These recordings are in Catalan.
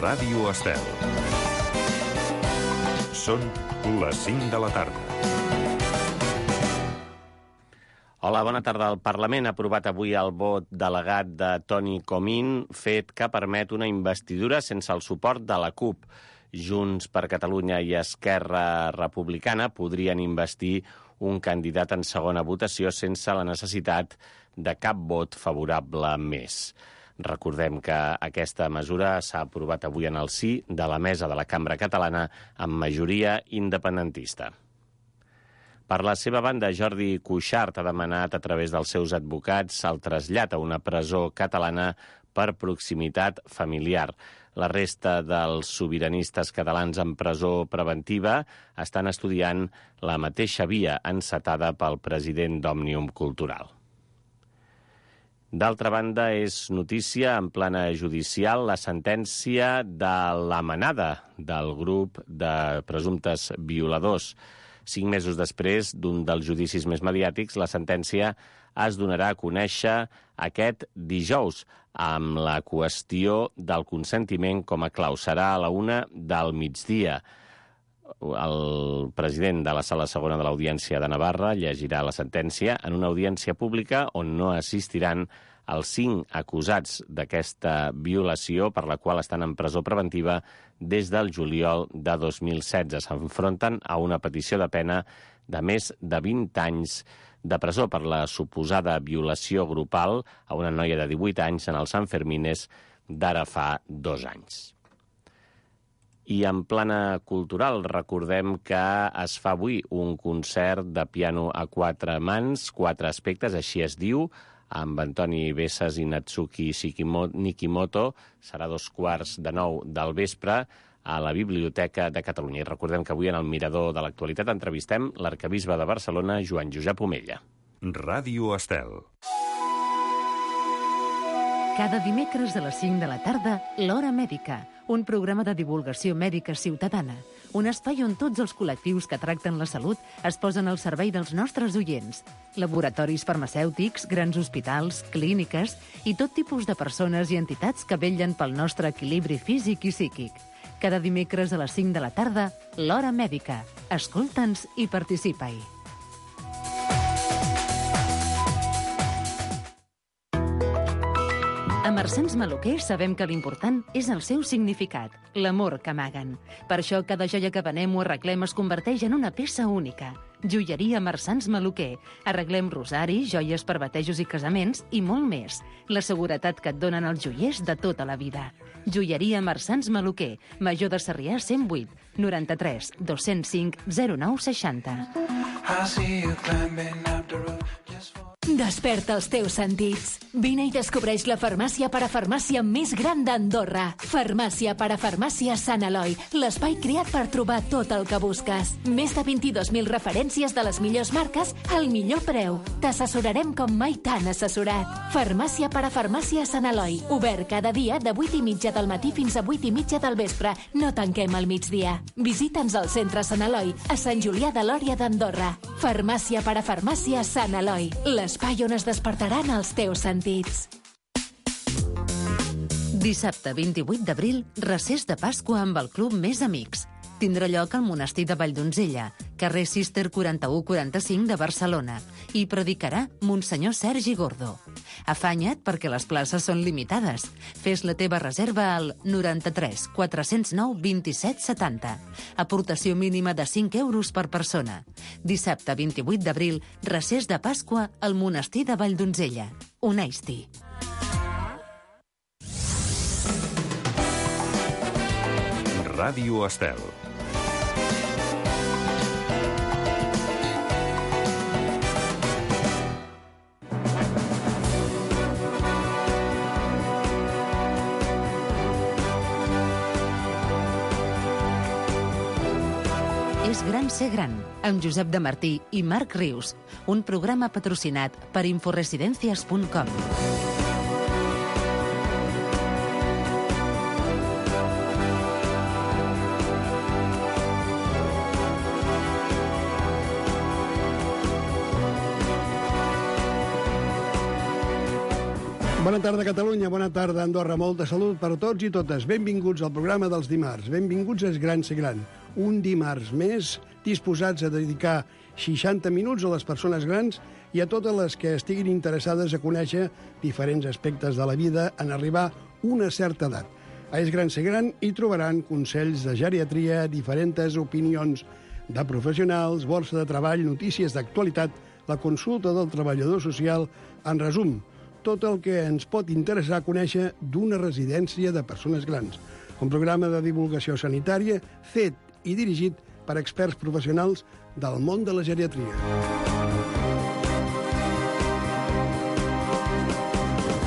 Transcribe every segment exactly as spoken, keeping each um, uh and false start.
Ràdio Estel. Són les cinc de la tarda. Hola, bona tarda. El Parlament ha aprovat avui el vot delegat de Toni Comín, fet que permet una investidura sense el suport de la CUP. Junts per Catalunya i Esquerra Republicana podrien investir un candidat en segona votació sense la necessitat de cap vot favorable més. Recordem que aquesta mesura s'ha aprovat avui en el sí de la mesa de la Cambra Catalana amb majoria independentista. Per la seva banda, Jordi Cuixart ha demanat a través dels seus advocats el trasllat a una presó catalana per proximitat familiar. La resta dels sobiranistes catalans en presó preventiva estan estudiant la mateixa via encetada pel president d'Òmnium Cultural. D'altra banda, és notícia en plana judicial la sentència de la manada del grup de presumptes violadors. Cinc mesos després d'un dels judicis més mediàtics, la sentència es donarà a conèixer aquest dijous amb la qüestió del consentiment com a clau. Serà a la una del migdia. El president de la Sala Segona de l'Audiència de Navarra llegirà la sentència en una audiència pública on no assistiran els cinc acusats d'aquesta violació per la qual estan en presó preventiva des del juliol de dos mil setze. S'enfronten a una petició de pena de més de vint anys de presó per la suposada violació grupal a una noia de divuit anys en els Sanfermines d'ara fa dos anys. I en plana cultural recordem que es fa avui un concert de piano a quatre mans, quatre aspectes, així es diu, amb Antoni Bessas i Natsuki Nikimoto. Serà dos quarts de nou del vespre a la Biblioteca de Catalunya. I recordem que avui en el Mirador de l'Actualitat entrevistem l'arquebisbe de Barcelona, Joan Josep Omella. Ràdio Estel. Cada dimecres a les cinc de la tarda, l'Hora Mèdica, un programa de divulgació mèdica ciutadana, un espai on tots els col·lectius que tracten la salut es posen al servei dels nostres oients. Laboratoris farmacèutics, grans hospitals, clíniques i tot tipus de persones i entitats que vetllen pel nostre equilibri físic i psíquic. Cada dimecres a les cinc de la tarda, l'Hora Mèdica. Escolta'ns i participa-hi. A Marsans Maluquer sabem que l'important és el seu significat, l'amor que amaguen. Per això cada joia que venem o arreglem es converteix en una peça única. Joieria Marsans Maluquer. Arreglem rosaris, joies per batejos i casaments i molt més. La seguretat que et donen els joiers de tota la vida. Joieria Marsans Maluquer. Major de Sarrià cent vuit, noranta-tres, dos-cents cinc, zero nou seixanta. Desperta els teus sentits. Vine i descobreix la farmàcia parafarmàcia més gran d'Andorra. Farmàcia parafarmàcia Sant Eloi, l'espai creat per trobar tot el que busques. Més de vint-i-dos mil referències de les millors marques al millor preu. T'assessorarem com mai t'han assessorat. Farmàcia parafarmàcia Sant Eloi, obert cada dia de vuit i mitja del matí fins a vuit i mitja del vespre. No tanquem al migdia. Visita'ns al centre Sant Eloi, a Sant Julià de Lòria d'Andorra. Farmàcia parafarmàcia Sant Eloi, l'espai on es despertaran els teus sentits. Dissabte vint-i-vuit d'abril, recés de Pasqua amb el Club Més Amics. Tindrà lloc al monestir de Valldonzella, carrer Cister quaranta-u quaranta-cinc de Barcelona, i predicarà Monsenyor Sergi Gordo. Afanya't perquè les places són limitades. Fes la teva reserva al noranta-tres quatre-cents nou vint-i-set setanta. Aportació mínima de cinc euros per persona. Dissabte vint-i-vuit d'abril, recés de Pasqua al monestir de Valldonzella. Uneix-t'hi. Ràdio Estel. És gran ser gran, amb Josep de Martí i Marc Rius, un programa patrocinat per inforesidencias punt com. Bona tarda, Catalunya. Bona tarda, Andorra. Molta salut per tots i totes. Benvinguts al programa dels dimarts. Benvinguts a Es Gran Ser Gran. Un dimarts més disposats a dedicar seixanta minuts a les persones grans i a totes les que estiguin interessades a conèixer diferents aspectes de la vida en arribar a una certa edat. A Es Gran Ser Gran hi trobaran consells de geriatria, diferents opinions de professionals, borsa de treball, notícies d'actualitat, la consulta del treballador social, en resum, tot el que ens pot interessar conèixer d'una residència de persones grans. Un programa de divulgació sanitària fet i dirigit per experts professionals del món de la geriatria.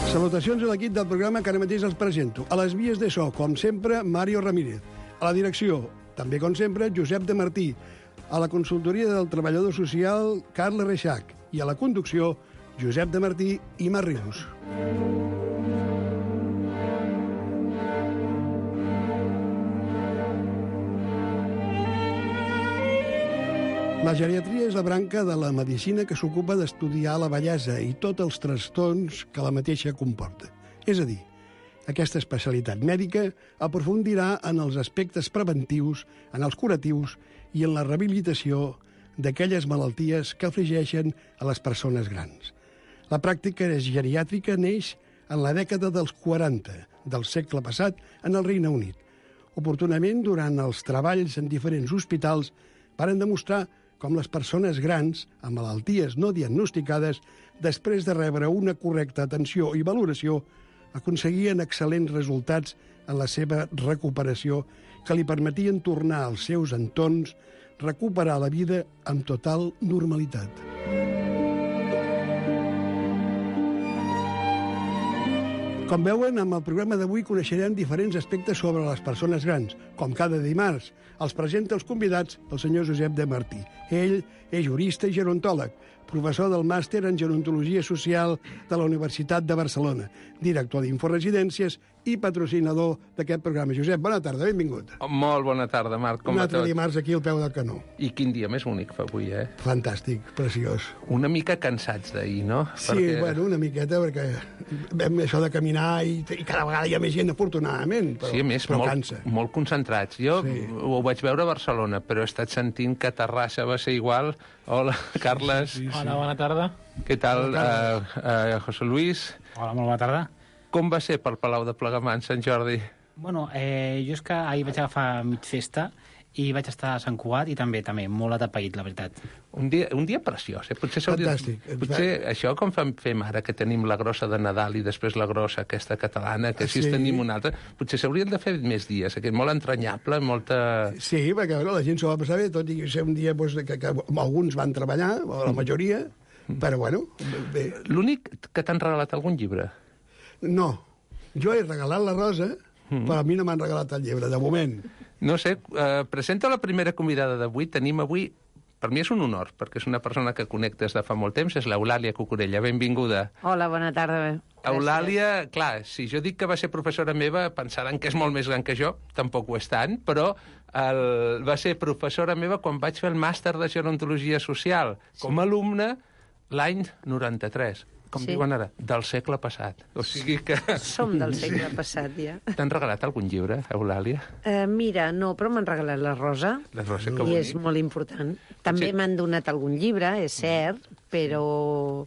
Salutacions a l'equip del programa que ara mateix els presento. A les vies de so, com sempre, Mario Ramírez. A la direcció, també com sempre, Josep de Martí. A la consultoria del treballador social, Carles Reixac. I a la conducció, Josep de Martí i Mar Rius. La geriatria és la branca de la medicina que s'ocupa d'estudiar la bellesa i tots els trastorns que la mateixa comporta. És a dir, aquesta especialitat mèdica aprofundirà en els aspectes preventius, en els curatius i en la rehabilitació d'aquelles malalties que afligeixen a les persones grans. La pràctica geriàtrica neix en la dècada dels quaranta del segle passat en el Regne Unit. Oportunament, durant els treballs en diferents hospitals, varen demostrar com les persones grans, amb malalties no diagnosticades, després de rebre una correcta atenció i valoració, aconseguien excel·lents resultats en la seva recuperació que li permetien tornar als seus entorns, recuperar la vida amb total normalitat. Com veuen, amb el programa d'avui coneixerem diferents aspectes sobre les persones grans. Com cada dimarts, els presenta els convidats el senyor Josep de Martí. Ell és jurista i gerontòleg, professor del màster en gerontologia social de la Universitat de Barcelona, director d'Inforesidències i patrocinador d'aquest programa. Josep, bona tarda, benvingut. Molt bona tarda, Marc. Com Un va altre tot? dimarts aquí al peu del canó. I quin dia més bonic fa avui, eh? Fantàstic, preciós. Una mica cansats d'ahir, no? Sí, Perquè... bueno, una miqueta, perquè vam això de caminar i, i cada vegada hi ha més gent, afortunadament, però, Sí, a més, però molt, cansa. molt concentrats. Jo Sí. ho vaig veure a Barcelona, però he estat sentint que a Terrassa va ser igual. Hola, Carles. Sí, sí, sí. Hola, bona tarda. Què tal, Bona tarda. uh, uh, José Luis? Hola, molt bona tarda. Com va ser pel Palau de Plegamans, Sant Jordi? Bueno, eh, jo és que ahir vaig agafar mig festa i vaig estar a Sant Cugat i també també molt atapeït, la veritat. Un dia, un dia preciós, eh? Potser, s'hauria- Fantàstic. potser això com fem, fem ara, que tenim la grossa de Nadal i després la grossa aquesta catalana, que així Sí. sí. tenim una altra, potser s'haurien de fer més dies, aquest molt entranyable, molta... Sí, perquè bueno, la gent s'ho va passar bé, tot i ser un dia doncs, que, que alguns van treballar, o la majoria, però bueno, bé. L'únic que t'han regalat algun llibre? No, jo he regalat la rosa, però a mi no m'han regalat el llibre, de moment. No sé, eh, presenta la primera convidada d'avui. Tenim avui, per mi és un honor, perquè és una persona que connectes de fa molt temps, és l'Eulàlia Cucurella. Benvinguda. Hola, bona tarda. Eulàlia, clar, si jo dic que va ser professora meva, pensaran que és molt més gran que jo, tampoc ho és tant, però el, va ser professora meva quan vaig fer el màster de gerontologia social, com a alumne, l'any noranta-tres. Com Sí. diuen ara, del segle passat. O sigui que... Som del segle passat, ja. T'han regalat algun llibre, Eulàlia? Uh, mira, no, però m'han regalat la rosa. La rosa, que I bonic. és molt important. També Sí. m'han donat algun llibre, és cert, però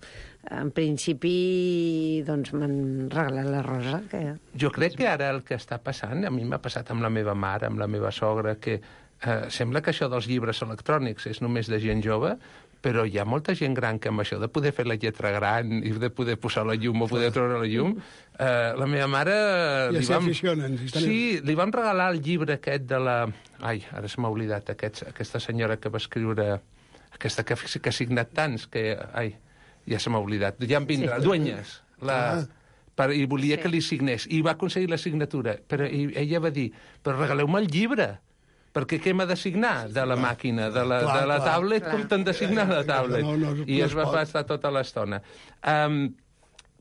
en principi doncs m'han regalat la rosa. Que... Jo crec que ara el que està passant, a mi m'ha passat amb la meva mare, amb la meva sogra, que eh, sembla que això dels llibres electrònics és només de gent jove, però hi ha molta gent gran que amb això de poder fer la lletra gran i de poder posar la llum o poder treure la llum, eh, la meva mare... Ja li s'hi vam... aficionen, si estan- Sí, li vam regalar el llibre aquest de la... Ai, ara se m'ha oblidat, aquest, aquesta senyora que va escriure... Aquesta que, que ha signat tants, que... Ai, ja se m'ha oblidat. Ja em vindrà. Sí. Dueñas. La... Ah. Per, i volia Sí. que li signés. I va aconseguir la signatura. Però i, ella va dir, però regaleu-me el llibre, perquè què m'ha de signar de la màquina, de la, Clar, de la clar. tablet, Clar. com t'han de signar la tablet? No, no, I no es es va pot. passar tota l'estona. Um,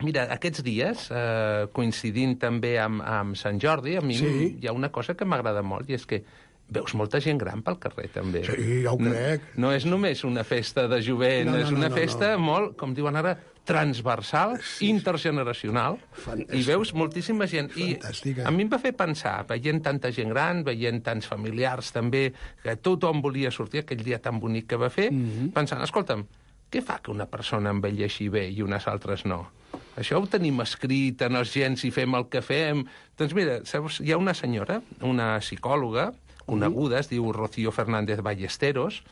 mira, aquests dies, uh, coincidint també amb, amb Sant Jordi, a mi Sí. hi ha una cosa que m'agrada molt, i és que veus molta gent gran pel carrer, també. Sí, ja ho crec. No, no és només una festa de jovent, No, no, és no, una no, festa no. molt, com diuen ara, transversal, Sí. intergeneracional, Fantàstic. i veus moltíssima gent. Fantàstica. I a mi em va fer pensar, veient tanta gent gran, veient tants familiars també, que tothom volia sortir aquell dia tan bonic que va fer, Mhm. pensant, escolta'm, què fa que una persona envelleixi bé i unes altres no? Això ho tenim escrit en els gens i fem el que fem. Doncs mira, saps, hi ha una senyora, una psicòloga, coneguda, es diu Rocío Fernández Ballesteros,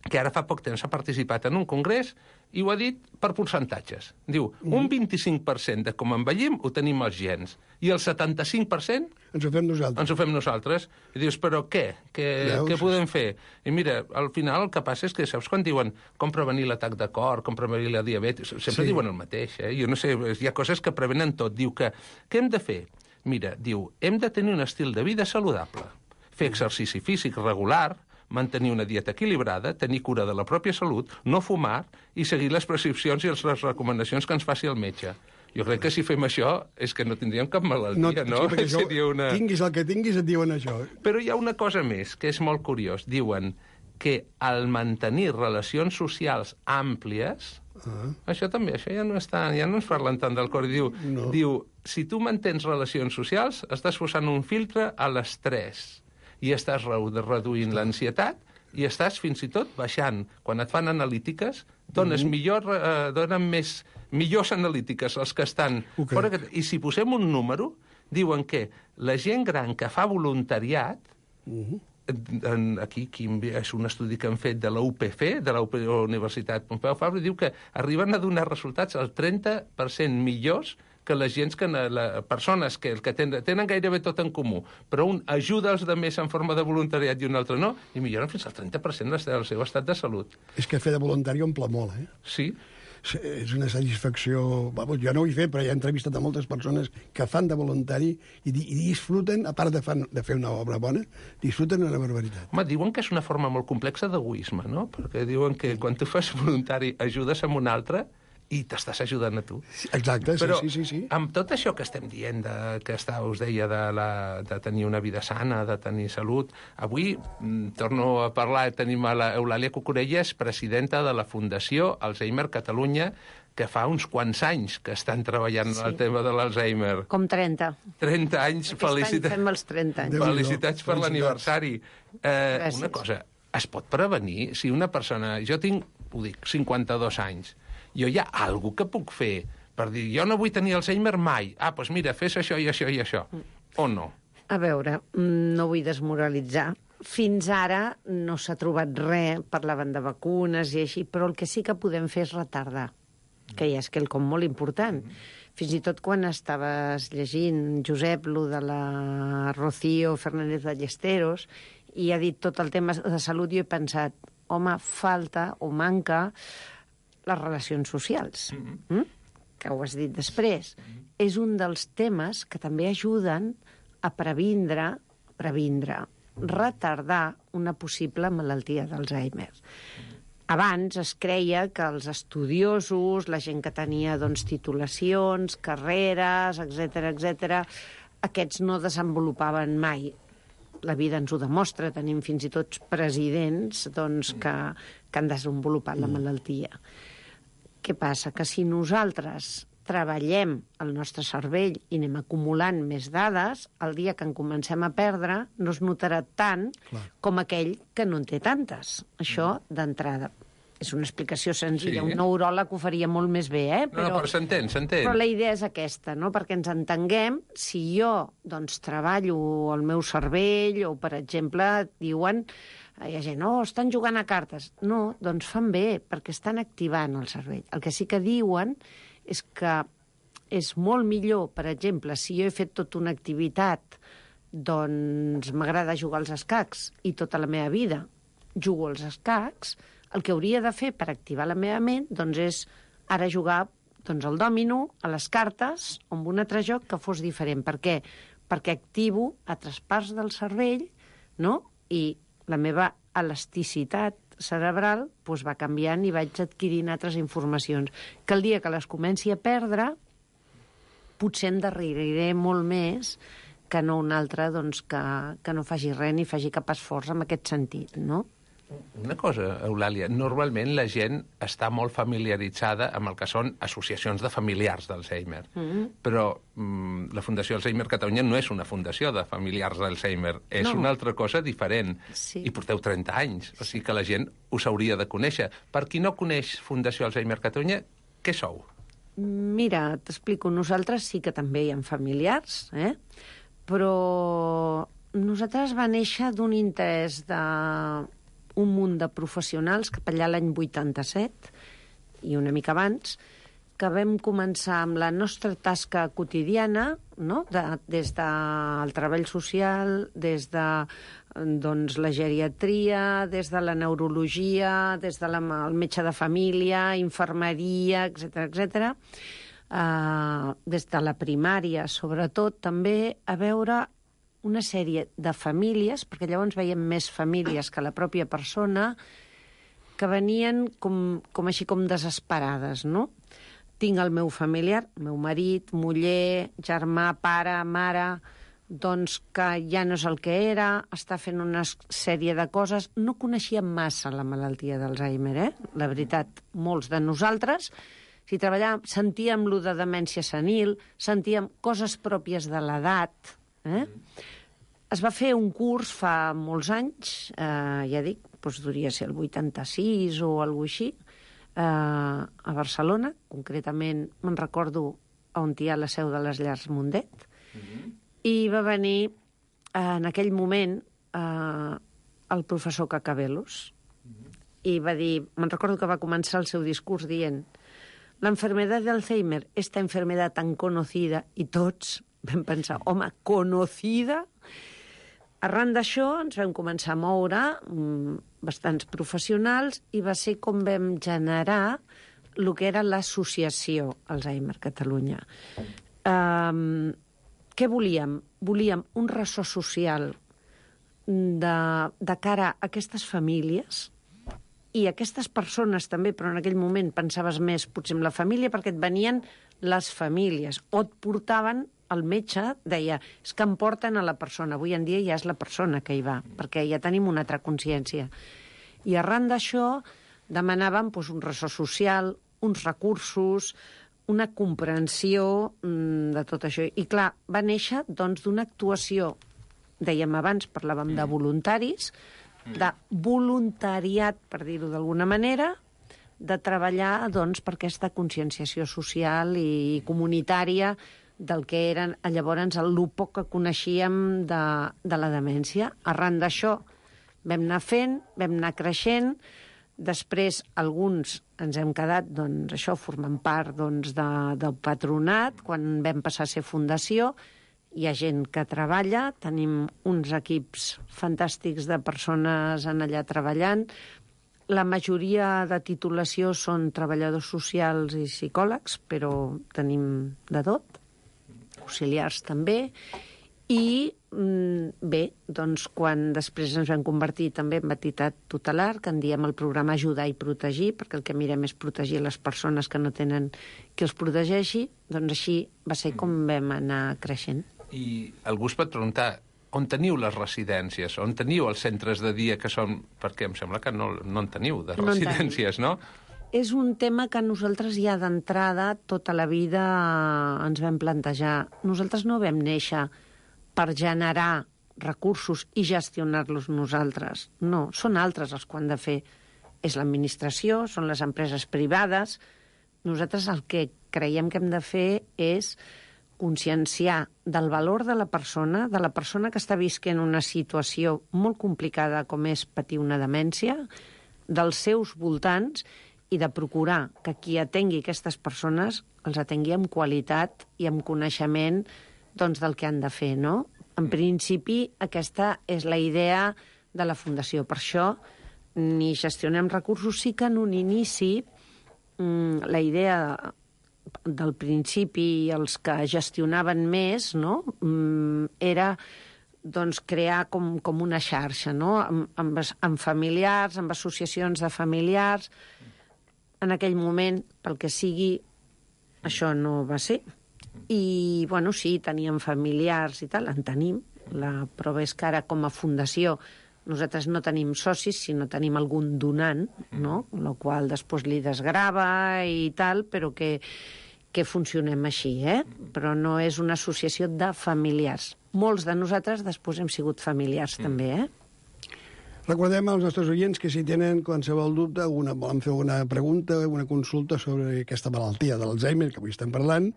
que ara fa poc temps ha participat en un congrés i ho ha dit per percentatges. Diu, un vint-i-cinc per cent de com envellim ho tenim els gens, i el setanta-cinc per cent Ens ho fem nosaltres. ens ho fem nosaltres. I dius, però què? Què, Veus? què podem fer? I mira, al final el que passa és que, saps quan diuen com prevenir l'atac de cor, com prevenir la diabetis? Sempre Sí. diuen el mateix, eh? Jo no sé, hi ha coses que prevenen tot. Diu que, què hem de fer? Mira, diu, hem de tenir un estil de vida saludable, fer exercici físic regular, mantenir una dieta equilibrada, tenir cura de la pròpia salut, no fumar i seguir les prescripcions i les recomanacions que ens faci el metge. Jo crec que si fem això és que no tindríem cap malaltia, no? sí, perquè això, Seria una... tinguis el que tinguis, et diuen això. Però hi ha una cosa més, que és molt curiós. Diuen que al mantenir relacions socials àmplies, Ah. això també, això ja no està, ja no ens parlen tant del cor. Diu, No. diu, si tu mantens relacions socials, estàs posant un filtre a l'estrès i estàs re- reduint l'ansietat i estàs fins i tot baixant. Quan et fan analítiques, dones Mm-hmm. millor, eh, donen més, millors analítiques els que estan Ho crec. fora. Que- I si posem un número, diuen que la gent gran que fa voluntariat, Mm-hmm. en, aquí, aquí és un estudi que han fet de la U P F, de la U P Universitat Pompeu Fabra, diu que arriben a donar resultats al trenta per cent millors que les gens que les persones que, que tenen, tenen gairebé tot en comú, però un ajuda els altres en forma de voluntariat i un altre no, i milloren fins al trenta per cent del seu estat de salut. És que fer de voluntari omple molt, eh? Sí, Sí, és una satisfacció... Vamos, jo no ho he fet, però ja he entrevistat a moltes persones que fan de voluntari i, di- i disfruten, a part de, fan, de fer una obra bona, disfruten una barbaritat. home, diuen que és una forma molt complexa d'egoisme, no? Perquè diuen que quan tu fas voluntari ajudes a un altre i t'estàs ajudant a tu. Exacte, sí, Però sí, sí, sí. amb tot això que estem dient, de, que està, us deia, de, la, de tenir una vida sana, de tenir salut, avui mm, torno a parlar, tenim a l'Eulàlia Cucurelles, presidenta de la Fundació Alzheimer Catalunya, que fa uns quants anys que estan treballant Sí. sí. el tema de l'Alzheimer. Com trenta. trenta anys, Aquest felicitats. any fem els trenta anys. Déu-n'hi-do. Felicitats per Felicitats. l'aniversari. Eh, Gràcies. una cosa, es pot prevenir si una persona... Jo tinc, ho dic, cinquanta-dos anys. Jo hi ha alguna que puc fer per dir, jo no vull tenir Alzheimer mai. Ah, doncs mira, fes això i això i això. O no? A veure, mm, no vull desmoralitzar. Fins ara no s'ha trobat res, parlaven de vacunes i així, però el que sí que podem fer és retardar, que ja és quelcom molt important. Fins i tot quan estaves llegint, Josep, lo de la Rocío Fernández Ballesteros, i ha dit tot el tema de salut, jo he pensat, home, falta o manca les relacions socials. Mm? Que ho has dit després. És un dels temes que també ajuden a previndre, previndre, retardar una possible malaltia d'Alzheimer. Abans es creia que els estudiosos, la gent que tenia doncs, titulacions, carreres, etcètera, etcètera, aquests no desenvolupaven mai. La vida ens ho demostra, tenim fins i tot presidents doncs, que, que han desenvolupat la malaltia. Què passa? Que si nosaltres treballem el nostre cervell i anem acumulant més dades, el dia que en comencem a perdre no es notarà tant Clar. com aquell que no en té tantes. Això, d'entrada. És una explicació senzilla. Sí. Un neuròleg ho faria molt més bé, eh? No, no, però s'entén, s'entén. Però la idea és aquesta, no? Perquè ens entenguem, si jo doncs, treballo el meu cervell, o, per exemple, et diuen, hi ha gent, no, estan jugant a cartes. No, doncs fan bé, perquè estan activant el cervell. El que sí que diuen és que és molt millor, per exemple, si jo he fet tota una activitat, doncs m'agrada jugar als escacs i tota la meva vida jugo als escacs, el que hauria de fer per activar la meva ment doncs és ara jugar doncs, al dòmino, a les cartes, o amb un altre joc que fos diferent. Per què? Perquè activo altres parts del cervell, no? I la meva elasticitat cerebral doncs, va canviant i vaig adquirint altres informacions. Que el dia que les comenci a perdre, potser em darreriré molt més que no un altre doncs, que, que no faci res ni faci cap esforç en aquest sentit, no? Una cosa, Eulàlia, normalment la gent està molt familiaritzada amb el que són associacions de familiars d'Alzheimer, mm-hmm. però mm, la Fundació Alzheimer Catalunya no és una fundació de familiars d'Alzheimer, és no. una altra cosa diferent, sí. i porteu trenta anys, o sigui que la gent us hauria de conèixer. Per qui no coneix Fundació Alzheimer Catalunya, què sou? Mira, t'explico, nosaltres sí que també hi ha familiars, eh? Però nosaltres va néixer d'un interès de un munt de professionals cap allà l'any vuitanta-set i una mica abans, que vam començar amb la nostra tasca quotidiana, no? de, des del treball social, des de doncs, la geriatria, des de la neurologia, des del de el metge de família, infermeria, etcètera, etcètera. Uh, des de la primària, sobretot, també a veure una sèrie de famílies, perquè llavors veiem més famílies que la pròpia persona, que venien com, com així com desesperades, no? Tinc el meu familiar, meu marit, muller, germà, pare, mare, doncs que ja no és el que era, està fent una sèrie de coses. No coneixíem massa la malaltia d'Alzheimer, eh? La veritat, molts de nosaltres, si treballàvem, sentíem lo de demència senil, sentíem coses pròpies de l'edat, eh? Es va fer un curs fa molts anys, eh, ja dic, doncs devia ser el vuitanta-sis o alguna cosa així, eh, a Barcelona, concretament me'n recordo on hi ha la seu de les Llars Mundet, mm-hmm. i va venir eh, en aquell moment eh, el professor Cacabelos, mm-hmm. i va dir, me'n recordo que va començar el seu discurs dient la enfermedad de Alzheimer, esta enfermedad tan conocida, i tots vam pensar, home, conocida? Arran d'això ens vam començar a moure mm, bastants professionals i va ser com vam generar el que era l'associació Alzheimer Catalunya. Um, què volíem? Volíem un ressò social de, de cara a aquestes famílies i aquestes persones també, però en aquell moment pensaves més potser en la família perquè et venien les famílies o et portaven el metge, deia, és que em porten a la persona. Avui en dia ja és la persona que hi va, perquè ja tenim una altra consciència. I arran d'això demanàvem doncs, un ressò social, uns recursos, una comprensió mm, de tot això. I clar, va néixer doncs, d'una actuació, dèiem abans, parlàvem de voluntaris, de voluntariat, per dir-ho d'alguna manera, de treballar doncs, per aquesta conscienciació social i comunitària del que eren llavors el poc que coneixíem de, de la demència. Arran d'això vam anar fent, vam anar creixent, després alguns ens hem quedat, doncs, això, formant part doncs, de, del patronat, quan vam passar a ser fundació. Hi ha gent que treballa, tenim uns equips fantàstics de persones en allà treballant. La majoria de titulació són treballadors socials i psicòlegs, però tenim de tot, auxiliars també, i bé, doncs quan després ens vam convertir també en entitat tutelar, que en diem el programa Ajudar i Protegir, perquè el que mirem és protegir les persones que no tenen qui els protegeixi, doncs així va ser com vam anar creixent. I algú es pot preguntar, on teniu les residències? On teniu els centres de dia que són... Perquè em sembla que no, no en teniu, de residències, no? És un tema que nosaltres ja d'entrada tota la vida ens vam plantejar. Nosaltres no vam néixer per generar recursos i gestionar-los nosaltres. No, són altres els que han de fer. És l'administració, són les empreses privades. Nosaltres el que creiem que hem de fer és conscienciar del valor de la persona, de la persona que està visquent una situació molt complicada com és patir una demència, dels seus voltants, i de procurar que qui atengui aquestes persones els atengui amb qualitat i amb coneixement doncs, del que han de fer, no? En principi, aquesta és la idea de la Fundació. Per això, ni gestionem recursos, sí que en un inici mmm, la idea del principi, els que gestionaven més, no? mmm, era doncs, crear com, com una xarxa, no? amb, amb, amb familiars, amb associacions de familiars. En aquell moment, pel que sigui, això no va ser. I, bueno, sí, teníem familiars i tal, en tenim. La prova és que ara, com a fundació, nosaltres no tenim socis, sinó tenim algun donant, no? El qual després li desgrava i tal, però que, que funcionem així, eh? Però no és una associació de familiars. Molts de nosaltres després hem sigut familiars, mm. també, eh? Recordem als nostres oients que si tenen qualsevol dubte, una, volen fer una pregunta, una consulta sobre aquesta malaltia de l'Alzheimer que avui estem parlant,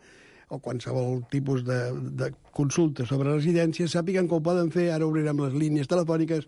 o qualsevol tipus de, de consulta sobre residències, sàpiguen que ho poden fer. Ara obrirem les línies telefòniques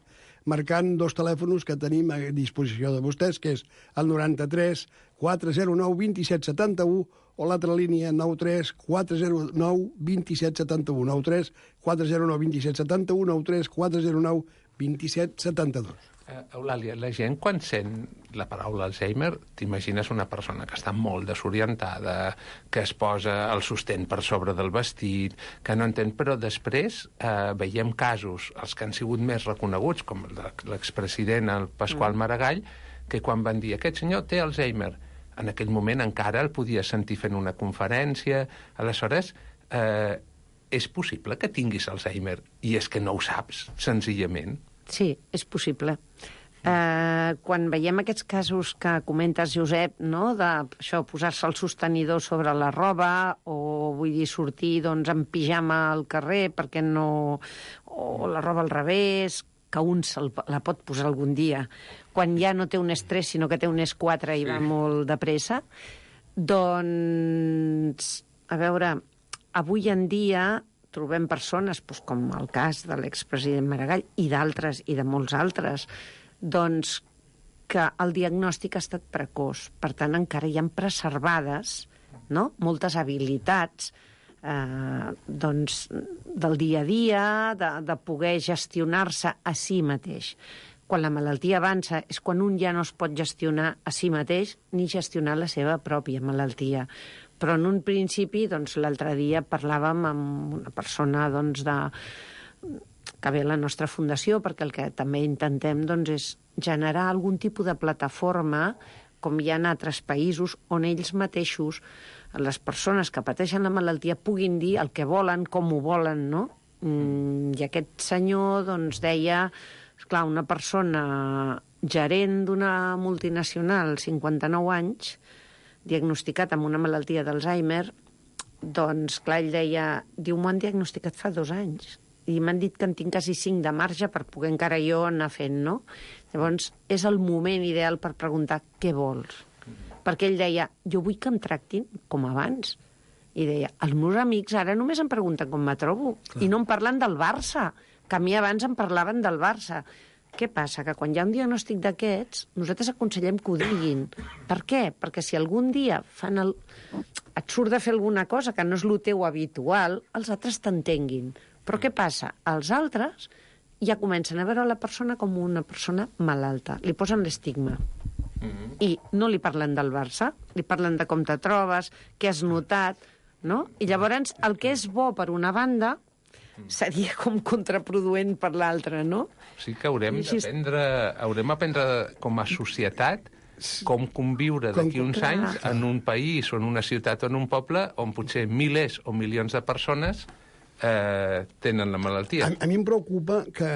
marcant dos telèfons que tenim a disposició de vostès, que és el noranta-tres quatre zero nou vint set setanta-u o l'altra línia nou tres quatre zero nou vint set setanta-u, nou tres quatre zero nou vint set setanta-u, nou tres quatre zero nou vint set setanta-dos. Uh, Eulàlia, la gent quan sent la paraula Alzheimer, t'imagines una persona que està molt desorientada, que es posa el sostén per sobre del vestit, que no entén, però després eh, veiem casos, els que han sigut més reconeguts, com el de l'expresident, el Pasqual Maragall, que quan van dir aquest senyor té Alzheimer, en aquell moment encara el podia sentir fent una conferència. Aleshores, eh, és possible que tinguis Alzheimer i és que no ho saps, senzillament? Sí, és possible. Eh, quan veiem aquests casos que comentes, Josep, no?, de això, posar-se el sostenidor sobre la roba, o vull dir, sortir doncs, en pijama al carrer perquè no... o la roba al revés, que un se la pot posar algun dia, quan ja no té un estrès, sinó que té un es quatre i sí. va molt de pressa, doncs, a veure, avui en dia trobem persones, doncs, com el cas de l'expresident Maragall i d'altres, i de molts altres, doncs que el diagnòstic ha estat precoç. Per tant, encara hi ha preservades, no?, moltes habilitats eh, doncs, del dia a dia, de, de poder gestionar-se a si mateix. Quan la malaltia avança és quan un ja no es pot gestionar a si mateix ni gestionar la seva pròpia malaltia. Però en un principi, doncs, l'altre dia parlàvem amb una persona doncs, de... que ve a la nostra fundació, perquè el que també intentem doncs, és generar algun tipus de plataforma, com hi ha en altres països, on ells mateixos, les persones que pateixen la malaltia, puguin dir el que volen, com ho volen, no? Mm, I aquest senyor doncs, deia, esclar, una persona gerent d'una multinacional, cinquanta-nou anys, diagnosticat amb una malaltia d'Alzheimer, doncs, clar, ell deia, diu, m'ho han diagnosticat fa dos anys, i m'han dit que en tinc quasi cinc de marge per poder encara jo anar fent, no? Llavors, és el moment ideal per preguntar què vols. Perquè ell deia, jo vull que em tractin com abans. I deia, els meus amics ara només em pregunten com me trobo, clar. I no em parlen del Barça, que a mi abans em parlaven del Barça. Què passa? Que quan hi ha un diagnòstic d'aquests, nosaltres aconsellem que ho diguin. Per què? Perquè si algun dia fan el... et surt de fer alguna cosa que no és el teu habitual, els altres t'entenguin. Però què passa? Els altres ja comencen a veure la persona com una persona malalta. Li posen l'estigma. Mm-hmm. I no li parlen del Barça, li parlen de com te trobes, què has notat, no? I llavors el que és bo per una banda seria com contraproduent per l'altra, no? Sí que haurem d'aprendre, haurem d'aprendre com a societat com conviure d'aquí uns anys en un país o en una ciutat o en un poble on potser milers o milions de persones eh, tenen la malaltia. A, a mi em preocupa que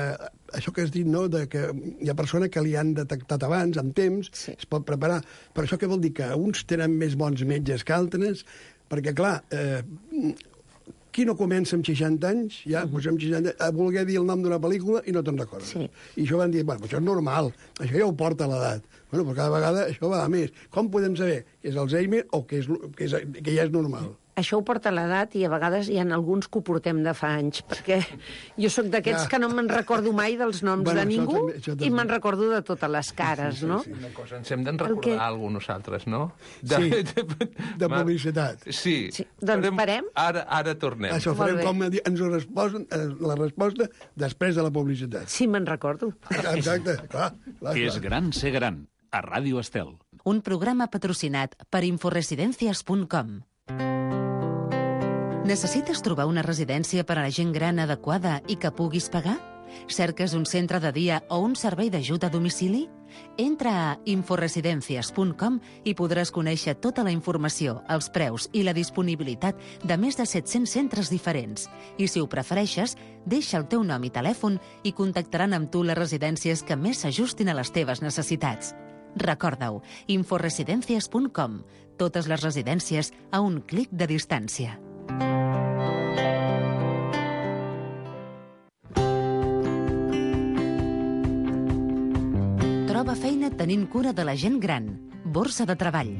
això que has dit, no?, de que hi ha persones que li han detectat abans, amb temps, sí. es pot preparar. Per això què vol dir? Que uns tenen més bons metges que altres, perquè, clar, eh, qui no comença amb seixanta anys, ja, uh -huh. doncs amb seixanta, a voler dir el nom d'una pel·lícula i no te'n recordes. Sí. I això van dir, bueno, això és normal, això ja ho porta l'edat. Bueno, però cada vegada això va a més. Com podem saber que és Alzheimer o que, és, que, és, que ja és normal? Això ho porta l'edat i a vegades hi ha alguns que ho portem de fa anys, perquè jo sóc d'aquests ja. que no me'n recordo mai dels noms bueno, de ningú també, també. I me'n recordo de totes les cares, sí, sí, no? Sí, sí. Una cosa, ens hem d'en recordar que... alguna nosaltres, no? De, sí, de, de publicitat. Sí. sí. Doncs farem, parem. Ara, ara tornem. Això ho farem com ens ho resposen, la resposta després de la publicitat. Sí, me'n recordo. Exacte, clar. clar És gran ser gran, a Ràdio Estel. Un programa patrocinat per inforesidencias punt com. Necessites trobar una residència per a la gent gran adequada i que puguis pagar? Cerques un centre de dia o un servei d'ajut a domicili? Entra a inforesidencias punt com i podràs conèixer tota la informació, els preus i la disponibilitat de més de set-cents centres diferents. I si ho prefereixes, deixa el teu nom i telèfon i contactaran amb tu les residències que més s'ajustin a les teves necessitats. Recorda-ho, inforesidencias punt com. Totes les residències a un clic de distància. Troba feina tenint cura de la gent gran. Borsa de treball.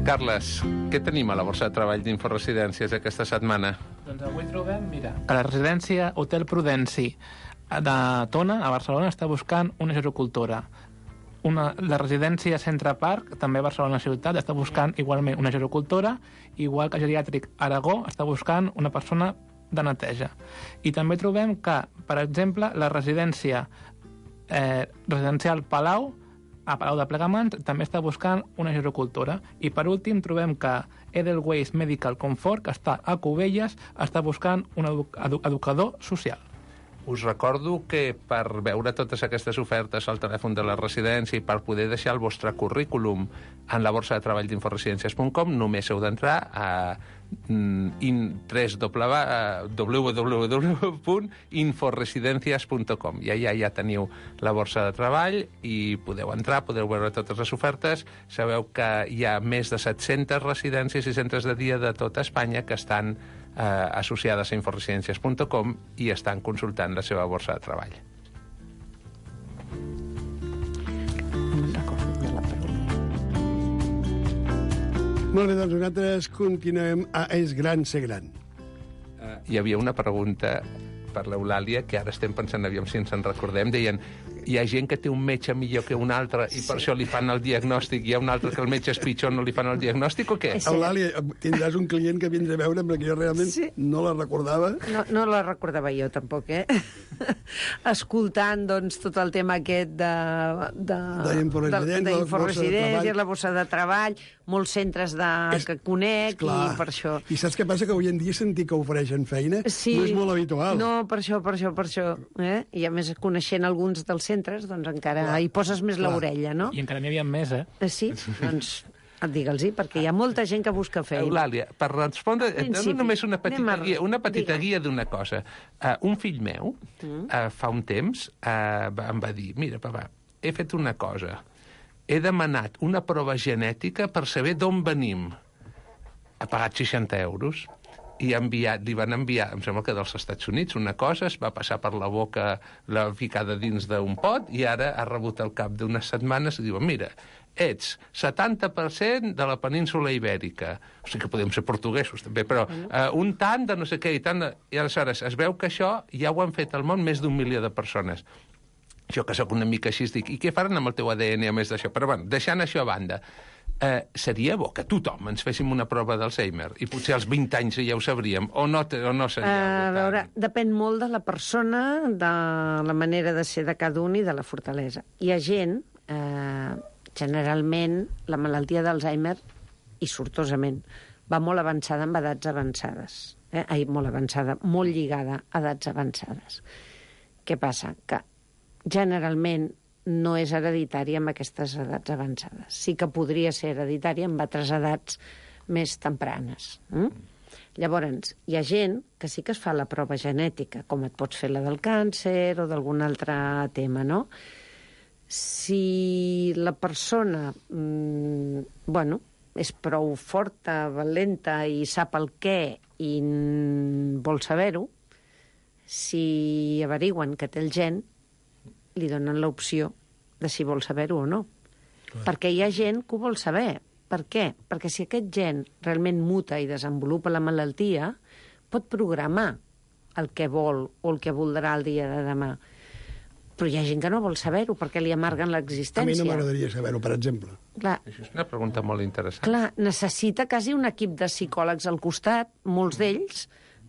Carles, què tenim a la borsa de treball d'Inforesidències aquesta setmana? Doncs avui trobem, mira, a la residència Hotel Prudenci de Tona, a Barcelona, està buscant una gerocultora. Una, la residència Centre Parc, també a Barcelona ciutat, està buscant igualment una gerocultora, igual que Geriàtric Aragó està buscant una persona de neteja. I també trobem que, per exemple, la residència eh, residencial Palau, a Palau de Plegamans, també està buscant una gerocultora. I per últim trobem que Edelweiss Medical Comfort, que està a Cubelles, està buscant un edu edu educador social. Us recordo que per veure totes aquestes ofertes al telèfon de la residència i per poder deixar el vostre currículum en la borsa de treball d'inforesidències punt com només heu d'entrar a w w w punt inforesidencias punt com. I allà ja teniu la borsa de treball i podeu entrar, podeu veure totes les ofertes. Sabeu que hi ha més de set-centes residències i centres de dia de tota Espanya que estan eh, associades a inforesidencias punt com i estan consultant la seva borsa de treball. Molt bé, doncs nosaltres continuem a És gran ser gran. Uh, hi havia una pregunta per l'Eulàlia, que ara estem pensant, aviam si ens en recordem, deien, hi ha gent que té un metge millor que un altre i per això li fan el diagnòstic, hi ha un altre que el metge és pitjor, no li fan el diagnòstic o què? Eulàlia, tindràs un client que vindrà a veure perquè jo realment sí. no la recordava. No, no la recordava jo tampoc, eh? Escoltant, doncs, tot el tema aquest de... de d'inforesidències, la borsa de treball, molts centres de, és, que conec, i per això... I saps què passa? Que avui en dia sentir que ofereixen feina sí, no és molt habitual. No, per això, per això, per això. Eh? I a més, coneixent alguns dels centres, doncs encara clar, hi poses més l'orella, no? I encara n'hi havia més, eh? eh sí, doncs... Digue'ls-hi, perquè hi ha molta gent que busca feina. Eulàlia, per respondre, no només una petita a... guia, una petita Digue. guia d'una cosa. Uh, un fill meu, mm. uh, fa un temps, uh, em va dir, mira, papa, he fet una cosa. He demanat una prova genètica per saber d'on venim. Ha pagat seixanta euros i enviat, li van enviar, em sembla que dels Estats Units, una cosa, es va passar per la boca, la ficada dins d'un pot, i ara ha rebut al cap d'unes setmanes i diuen, mira, ets setanta per cent de la península ibèrica. O sigui que podem ser portuguesos, també, però uh, un tant de no sé què i tant de... I aleshores es veu que això ja ho han fet al món més d'un milió de persones. Jo, que sóc una mica així, dic, i què faran amb el teu A D N a més d'això? Però, bueno, deixant això a banda, eh, seria bo que tothom ens féssim una prova d'Alzheimer i potser als vint anys ja ho sabríem, o no, o no seria... Uh, a veure, depèn molt de la persona, de la manera de ser de cada un i de la fortalesa. Hi ha gent... Eh, generalment, la malaltia d'Alzheimer, i sortosament, va molt avançada amb edats avançades. Eh? Ai, molt avançada, molt lligada a edats avançades. Què passa? Que generalment no és hereditària amb aquestes edats avançades. Sí que podria ser hereditària amb altres edats més tempranes. Mm? Llavors, hi ha gent que sí que es fa la prova genètica, com et pots fer la del càncer o d'algun altre tema, no? Si la persona mmm, bueno, és prou forta, valenta i sap el què i vol saber-ho, si averigüen que té el gen, li donen l'opció de si vol saber-ho o no. Clar. Perquè hi ha gent que ho vol saber. Per què? Perquè si aquest gen realment muta i desenvolupa la malaltia, pot programar el que vol o el que voldrà el dia de demà. Però hi ha gent que no vol saber-ho perquè li amarguen l'existència. A mi no m'agradaria saber-ho, per exemple. Clar, això és una pregunta molt interessant. Clar, necessita quasi un equip de psicòlegs al costat, molts d'ells,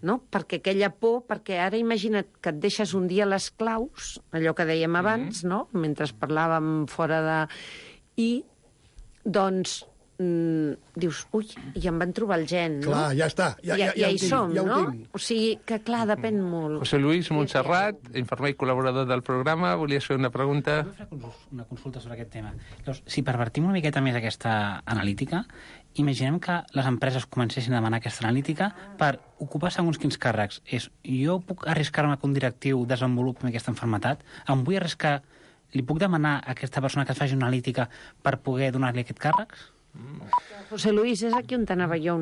no? Perquè aquella por, perquè ara imagina't que et deixes un dia les claus, allò que dèiem abans, mm-hmm. no? Mentre parlàvem fora de... I, doncs, mm, dius, ui, i em van trobar el gen, no? Clar, ja està, ja, ja, ja, ja ho hi tinc, som, ja ho no? tinc. O sigui, que clar, depèn molt. José Luis Montserrat, infermer i col·laborador del programa, volies fer una pregunta? Vull fer una consulta sobre aquest tema. Llavors, si pervertim una miqueta més aquesta analítica, imaginem que les empreses comencessin a demanar aquesta analítica per ocupar segons quins càrrecs. És, jo puc arriscar-me que un directiu desenvolupi aquesta malaltia? Em vull arriscar, li puc demanar a aquesta persona que es faci una analítica per poder donar-li aquest càrrec? José Luis, és aquí on t'anava jo.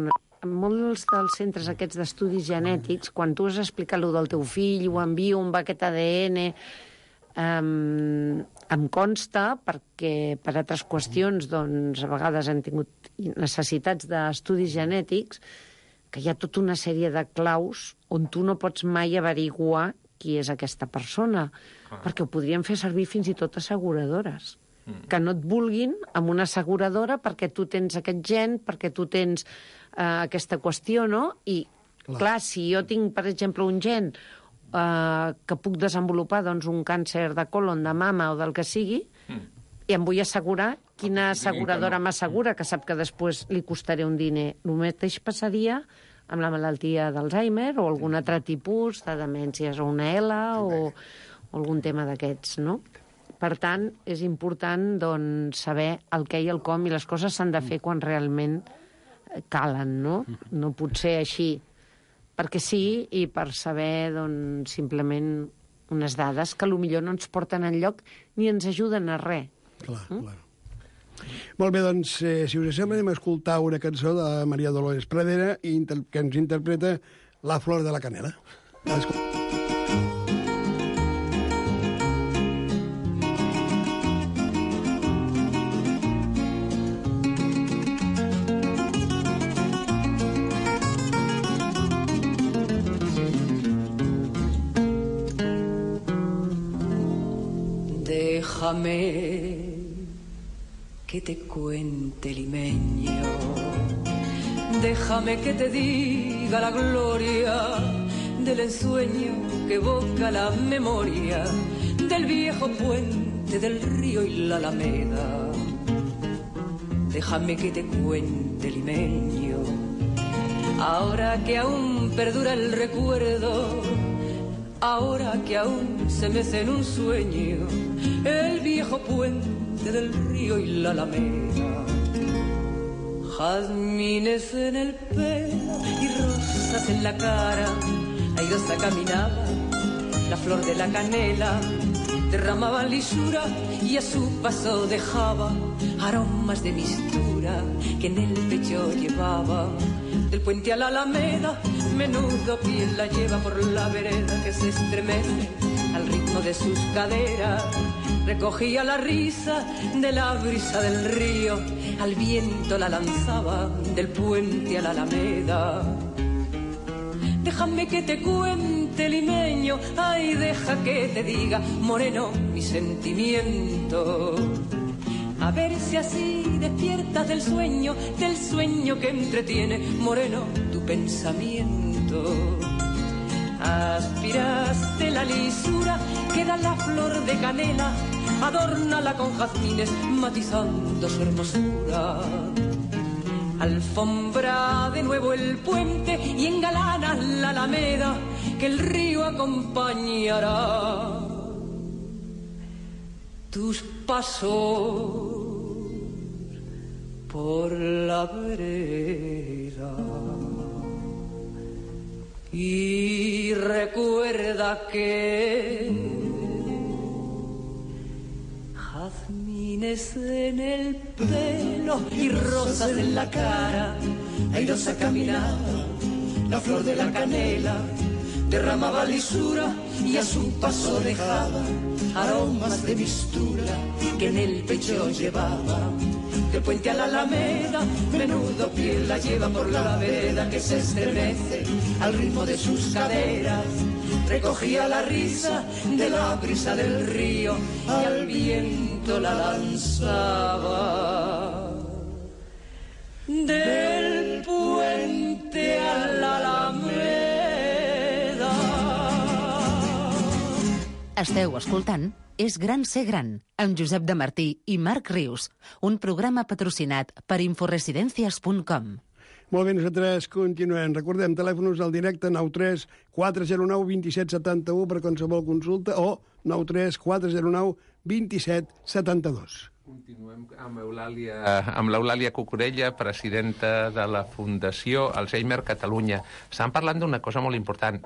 En molts dels centres aquests d'estudis genètics, quan tu has explicat allò del teu fill, ho envio, on va aquest A D N, um, em consta, perquè per altres qüestions, doncs, a vegades han tingut necessitats d'estudis genètics, que hi ha tota una sèrie de claus on tu no pots mai averiguar qui és aquesta persona, ah. perquè ho podrien fer servir fins i tot asseguradores. Que no et vulguin amb una asseguradora perquè tu tens aquest gen, perquè tu tens eh, aquesta qüestió, no? I, clar. clar, si jo tinc, per exemple, un gen eh, que puc desenvolupar doncs, un càncer de colon, de mama o del que sigui, mm. i em vull assegurar, quina asseguradora m'assegura, que sap que després li costaré un diner. El mateix passaria amb la malaltia d'Alzheimer o algun altre tipus de demències, o una L o, o algun tema d'aquests, no? Per tant, és important doncs, saber el què i el com, i les coses s'han de fer quan realment calen, no? No pot ser així perquè sí i per saber doncs, simplement unes dades que potser no ens porten enlloc ni ens ajuden a res. Clar, mm? clar. Molt bé, doncs, eh, si us sembla, anem a escoltar una cançó de Maria Dolores Pradera que ens interpreta La flor de la canela. Escolta. Déjame que te cuente, limeño, déjame que te diga la gloria del ensueño que evoca la memoria del viejo puente del río y la alameda. Déjame que te cuente, limeño, ahora que aún perdura el recuerdo, ahora que aún se mece en un sueño el viejo puente del río y la alameda. Jazmines en el pelo y rosas en la cara, airosa caminaba la flor de la canela, derramaba lisura y a su paso dejaba aromas de mistura que en el pecho llevaba. Del puente a la alameda, menudo piel la lleva por la vereda que se estremece al ritmo de sus caderas. Recogía la risa de la brisa del río, al viento la lanzaba del puente a la alameda. Déjame que te cuente, limeño, ay, deja que te diga, moreno, mi sentimiento. A ver si así despiertas del sueño, del sueño que entretiene, moreno, tu pensamiento. Aspiraste la lisura que da la flor de canela, adórnala con jazmines, matizando su hermosura. Alfombra de nuevo el puente y engalana la alameda, que el río acompañará tus pasos por la vereda. Y recuerda que jazmines en el pelo y rosas en la cara, airosa caminaba la flor de la canela, derramaba lisura y a su paso dejaba aromas de mistura que en el pecho llevaba. Del puente a la alameda, menudo piel la lleva por la vereda que se estremece al ritmo de sus caderas. Recogía la risa de la brisa del río y al viento la lanzaba. Del puente a la alameda, Esteu escoltant És gran ser gran, amb Josep de Martí i Marc Rius, un programa patrocinat per inforesidencias punt com. Molt bé, nosaltres continuem. Recordem, telèfons al directe nou tres quatre zero nou dos set set u per qualsevol consulta o nou tres quatre zero nou dos set set dos. Continuem amb Eulàlia, amb l'Eulàlia Cucurella, presidenta de la Fundació Alzheimer Catalunya. Estan parlant d'una cosa molt important.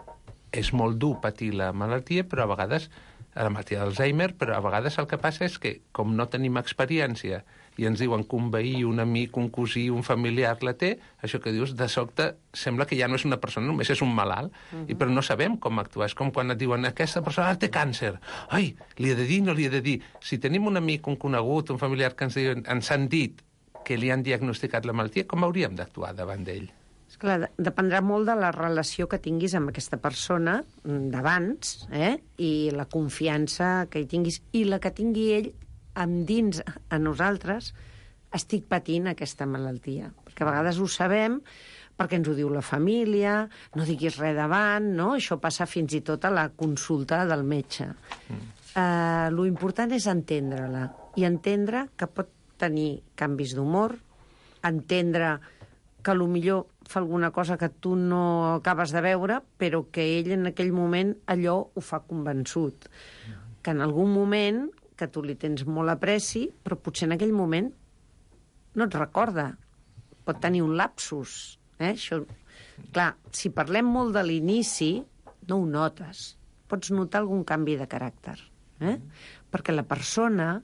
És molt dur patir la malaltia, però a vegades, la malaltia d'Alzheimer, però a vegades el que passa és que, com no tenim experiència, i ens diuen que un veí, un amic, un cosí, un familiar la té, això que dius, de sobte, sembla que ja no és una persona, només és un malalt, uh-huh. i però no sabem com actuar. És com quan et diuen, aquesta persona té càncer. Ai, li he de dir, no li he de dir. Si tenim un amic, un conegut, un familiar que ens, diuen, ens han dit que li han diagnosticat la malaltia, com hauríem d'actuar davant d'ell? Esclar, dependrà molt de la relació que tinguis amb aquesta persona d'abans, eh? I la confiança que hi tinguis, i la que tingui ell amb dins a nosaltres. Estic patint aquesta malaltia, perquè a vegades ho sabem perquè ens ho diu la família, no diguis res davant, no? Això passa fins i tot a la consulta del metge. Mm. Uh, lo important és entendre-la, i entendre que pot tenir canvis d'humor, entendre que potser fa alguna cosa que tu no acabes de veure, però que ell en aquell moment allò ho fa convençut. Que en algun moment, que tu li tens molt apreci, però potser en aquell moment no et recorda. Pot tenir un lapsus. Eh? Això... Clar, si parlem molt de l'inici, no ho notes. Pots notar algun canvi de caràcter. Eh? Perquè la persona...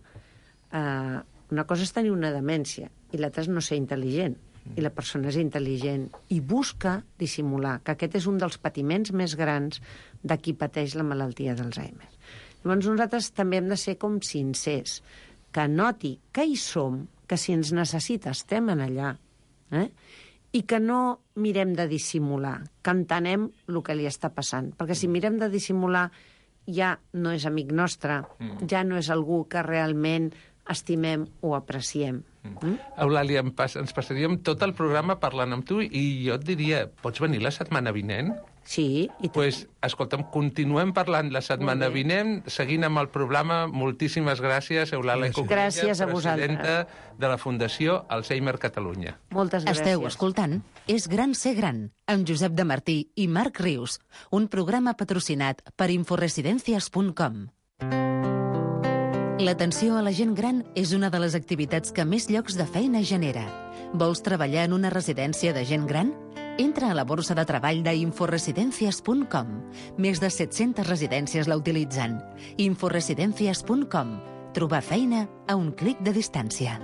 Eh, una cosa és tenir una demència i l'altra és no ser intel·ligent. I la persona és intel·ligent i busca dissimular, que aquest és un dels patiments més grans de qui pateix la malaltia d'Alzheimer. Llavors nosaltres també hem de ser com sincers, que noti que hi som, que si ens necessita estem en allà, eh? I que no mirem de dissimular, que entenem el que li està passant. Perquè si mirem de dissimular ja no és amic nostre, ja no és algú que realment estimem o apreciem. Mm? Eulàlia, pas, ens passaríem tot el programa parlant amb tu i jo et diria, pots venir la setmana vinent? Sí. I pues, escolta'm, continuem parlant la setmana vinent, seguint amb el programa. Moltíssimes gràcies, Eulàlia Cucurella, gràcies a presidenta de la Fundació Alzheimer Catalunya. Moltes gràcies. Esteu escoltant És gran ser gran, amb Josep de Martí i Marc Rius, un programa patrocinat per inforesidencias punt com. L'atenció a la gent gran és una de les activitats que més llocs de feina genera. Vols treballar en una residència de gent gran? Entra a la borsa de treball d'inforesidencias punt com. Més de set-centes residències la utilitzen. inforesidencias punt com. Trobar feina a un clic de distància.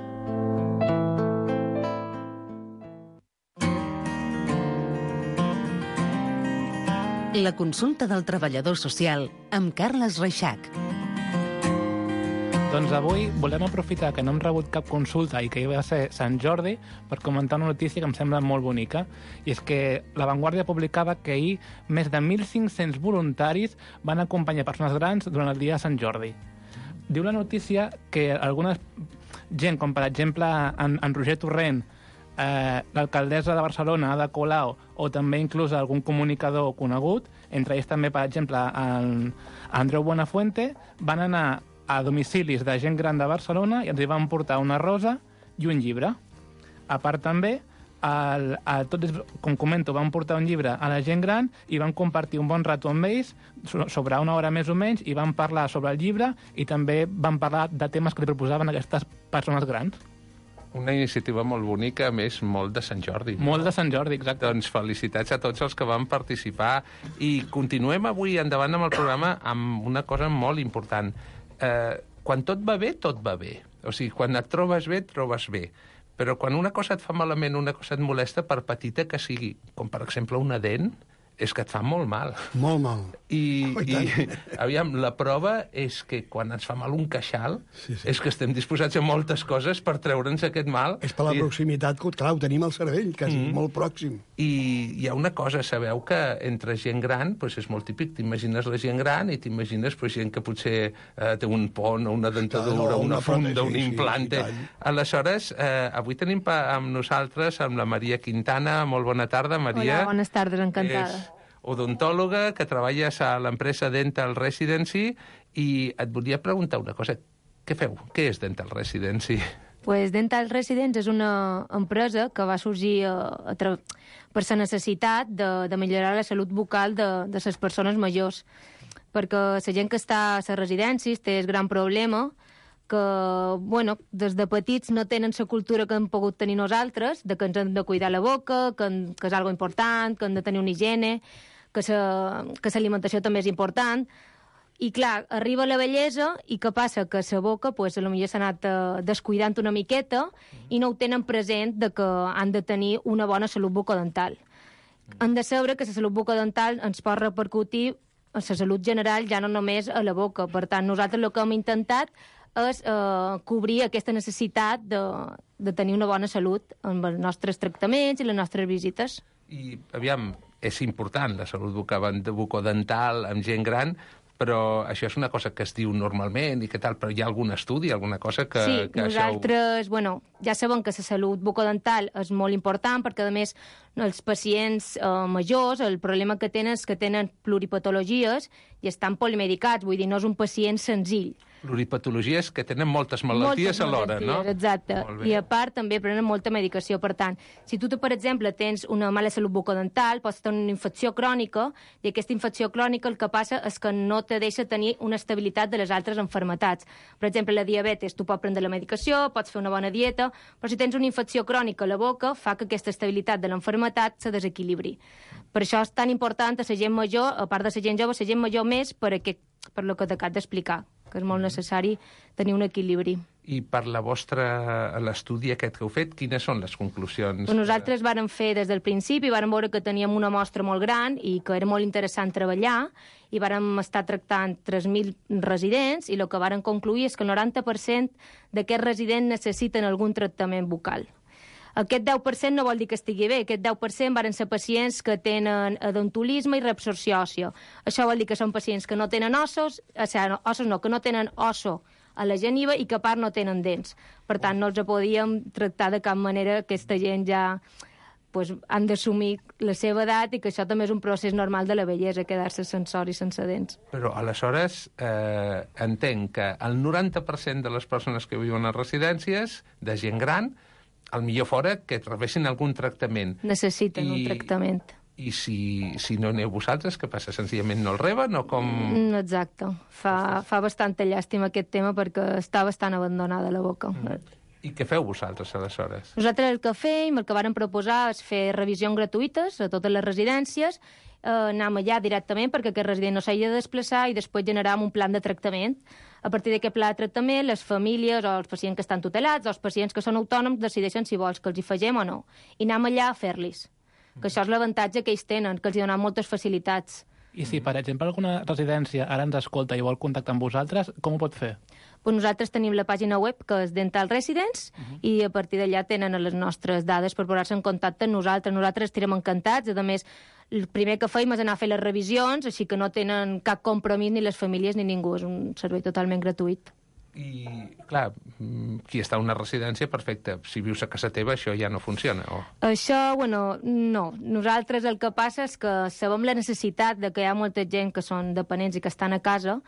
La consulta del treballador social amb Carles Reixac. Doncs avui volem aprofitar que no hem rebut cap consulta i que hi va ser Sant Jordi per comentar una notícia que em sembla molt bonica. I és que La Vanguardia publicava que ahir més de mil cinc-cents voluntaris van acompanyar persones grans durant el dia de Sant Jordi. Diu la notícia que alguna gent, com per exemple en, en Roger Torrent, eh, l'alcaldessa de Barcelona, Ada Colau, o també inclús algun comunicador conegut, entre ells també, per exemple, en Andreu Buenafuente, van anar a domicilis de gent gran de Barcelona i ens hi van portar una rosa i un llibre. A part també, el, el, tot, com comento, van portar un llibre a la gent gran i van compartir un bon rato amb ells, sobre una hora més o menys, i van parlar sobre el llibre i també van parlar de temes que li proposaven aquestes persones grans. Una iniciativa molt bonica, a més, molt de Sant Jordi. No? Molt de Sant Jordi, exacte. Doncs felicitats a tots els que van participar i continuem avui endavant amb el programa amb una cosa molt important. Eh, quan tot va bé, tot va bé. O sigui, quan et trobes bé, et trobes bé. Però quan una cosa et fa malament, una cosa et molesta, per petita que sigui, com per exemple una dent, és que et fa molt mal. Molt mal. I, oh, i, i aviam, la prova és que quan ens fa mal un queixal, sí, sí. és que estem disposats a moltes coses per treure'ns aquest mal. És per la I... proximitat, que clar, ho tenim al cervell, que és mm. molt pròxim. I hi ha una cosa, sabeu que entre gent gran, doncs és molt típic, t'imagines la gent gran i t'imagines doncs, gent que potser eh, té un pont o una dentadura, una, una funda, sí, un implante. Sí, aleshores, eh, avui tenim amb nosaltres amb la Maria Quintana. Molt bona tarda, Maria. Hola, bones tardes, encantada. És odontòloga, que treballes a l'empresa Dental Residency, i et volia preguntar una cosa. Què feu? Què és Dental Residency? Pues Dental Residence és una empresa que va sorgir a, a tra... per la necessitat de, de millorar la salut bucal de, de les persones majors. Perquè la gent que està a les residències té el gran problema que, bueno, des de petits no tenen la cultura que hem pogut tenir nosaltres, de que ens hem de cuidar la boca, que, que és algo important, que hem de tenir una higiene, que l'alimentació també és important. I, clar, arriba la vellesa i què passa? Que la boca, pues, potser s'ha anat uh, descuidant una miqueta i no ho tenen present de que han de tenir una bona salut bucodental. Han de saber que la salut bucodental ens pot repercutir a la salut general, ja no només a la boca. Per tant, nosaltres el que hem intentat és uh, cobrir aquesta necessitat de, de tenir una bona salut amb els nostres tractaments i les nostres visites. I, aviam, és important la salut bucodental amb gent gran, però això és una cosa que es diu normalment i què tal, però hi ha algun estudi, alguna cosa que... Sí, que nosaltres, això... bueno, ja sabem que la salut bucodental és molt important perquè, a més, els pacients eh, majors, el problema que tenen és que tenen pluripatologies i estan polimedicats, vull dir, no és un pacient senzill. Pluripatologies que tenen moltes malalties alhora, no? Exacte. I a part també prenen molta medicació. Per tant, si tu, per exemple, tens una mala salut bucodental, pots tenir una infecció crònica, i aquesta infecció crònica el que passa és que no te deixa tenir una estabilitat de les altres enfermetats. Per exemple, la diabetes, tu pots prendre la medicació, pots fer una bona dieta, però si tens una infecció crònica a la boca, fa que aquesta estabilitat de l'enfermetat se desequilibri. Per això és tan important a la gent major, a part de la gent jove, la gent major més per, aquest, per lo que t'acabo d'explicar, que és molt necessari tenir un equilibri. I per la vostra, l'estudi aquest que heu fet, quines són les conclusions? Pues nosaltres vàrem fer des del principi, vàrem veure que teníem una mostra molt gran i que era molt interessant treballar, i vàrem estar tractant tres mil residents, i el que vàrem concluir és que el noranta per cent d'aquests residents necessiten algun tractament bucal. Aquest deu per cent no vol dir que estigui bé, aquest deu per cent varen ser pacients que tenen odontolisme i reabsorció òssia. Això vol dir que són pacients que no tenen ossos, o sigui, ossos no, que no tenen osso a la geniva i que a part no tenen dents. Per tant, no els podíem tractar de cap manera. Aquesta gent ja pues, han d'assumir la seva edat i que això també és un procés normal de la vellesa, quedar-se sense or i sense dents. Però aleshores eh, entenc que el noranta per cent de les persones que viuen a residències, de gent gran, al millor fora que rebessin algun tractament. Necessiten I, un tractament. I si, si no aneu vosaltres, què passa? Senzillament no el reben o com...? Exacte. Fa, fa bastanta llàstima aquest tema perquè està bastant abandonada la boca. Mm. I què feu vosaltres, aleshores? Nosaltres el que fem, el que vàrem proposar és fer revisions gratuïtes a totes les residències, eh, anem allà directament perquè aquest resident no s'hagi de desplaçar i després generar un plan de tractament. A partir d'aquest pla de tractament, les famílies o els pacients que estan tutelats o els pacients que són autònoms decideixen si vols que els hi fagem o no. I anem allà a fer-los. Que això és l'avantatge que ells tenen, que els hi donen moltes facilitats. I si, per exemple, alguna residència ara ens escolta i vol contactar amb vosaltres, com ho pot fer? Pues nosaltres tenim la pàgina web, que és Dental Residence, uh-huh. i a partir d'allà tenen les nostres dades per posar-se en contacte amb nosaltres. Nosaltres estarem encantats. A més, el primer que feim és anar a fer les revisions, així que no tenen cap compromís ni les famílies ni ningú. És un servei totalment gratuït. I, clar, qui està a una residència, perfecte. Si vius a casa teva, això ja no funciona, o...? Això, bueno, no. Nosaltres el que passa és que sabem la necessitat de que hi ha molta gent que són dependents i que estan a casa,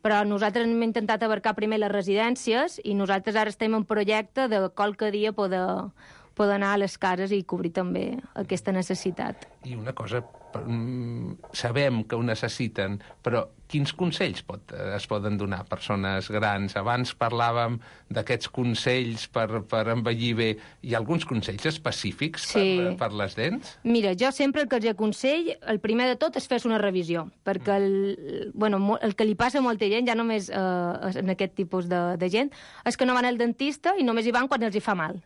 però nosaltres hem intentat abarcar primer les residències i nosaltres ara estem en projecte de qualque dia poder, poder anar a les cases i cobrir també aquesta necessitat. I una cosa, sabem que ho necessiten, però quins consells pot, es poden donar a persones grans? Abans parlàvem d'aquests consells per, per envellir bé. Hi ha alguns consells específics sí. per, per les dents? Mira, jo sempre el que els aconsell, el primer de tot és fer una revisió, perquè el, bueno, el que li passa a molta gent, ja només eh, en aquest tipus de, de gent, és que no van al dentista i només hi van quan els hi fa mal.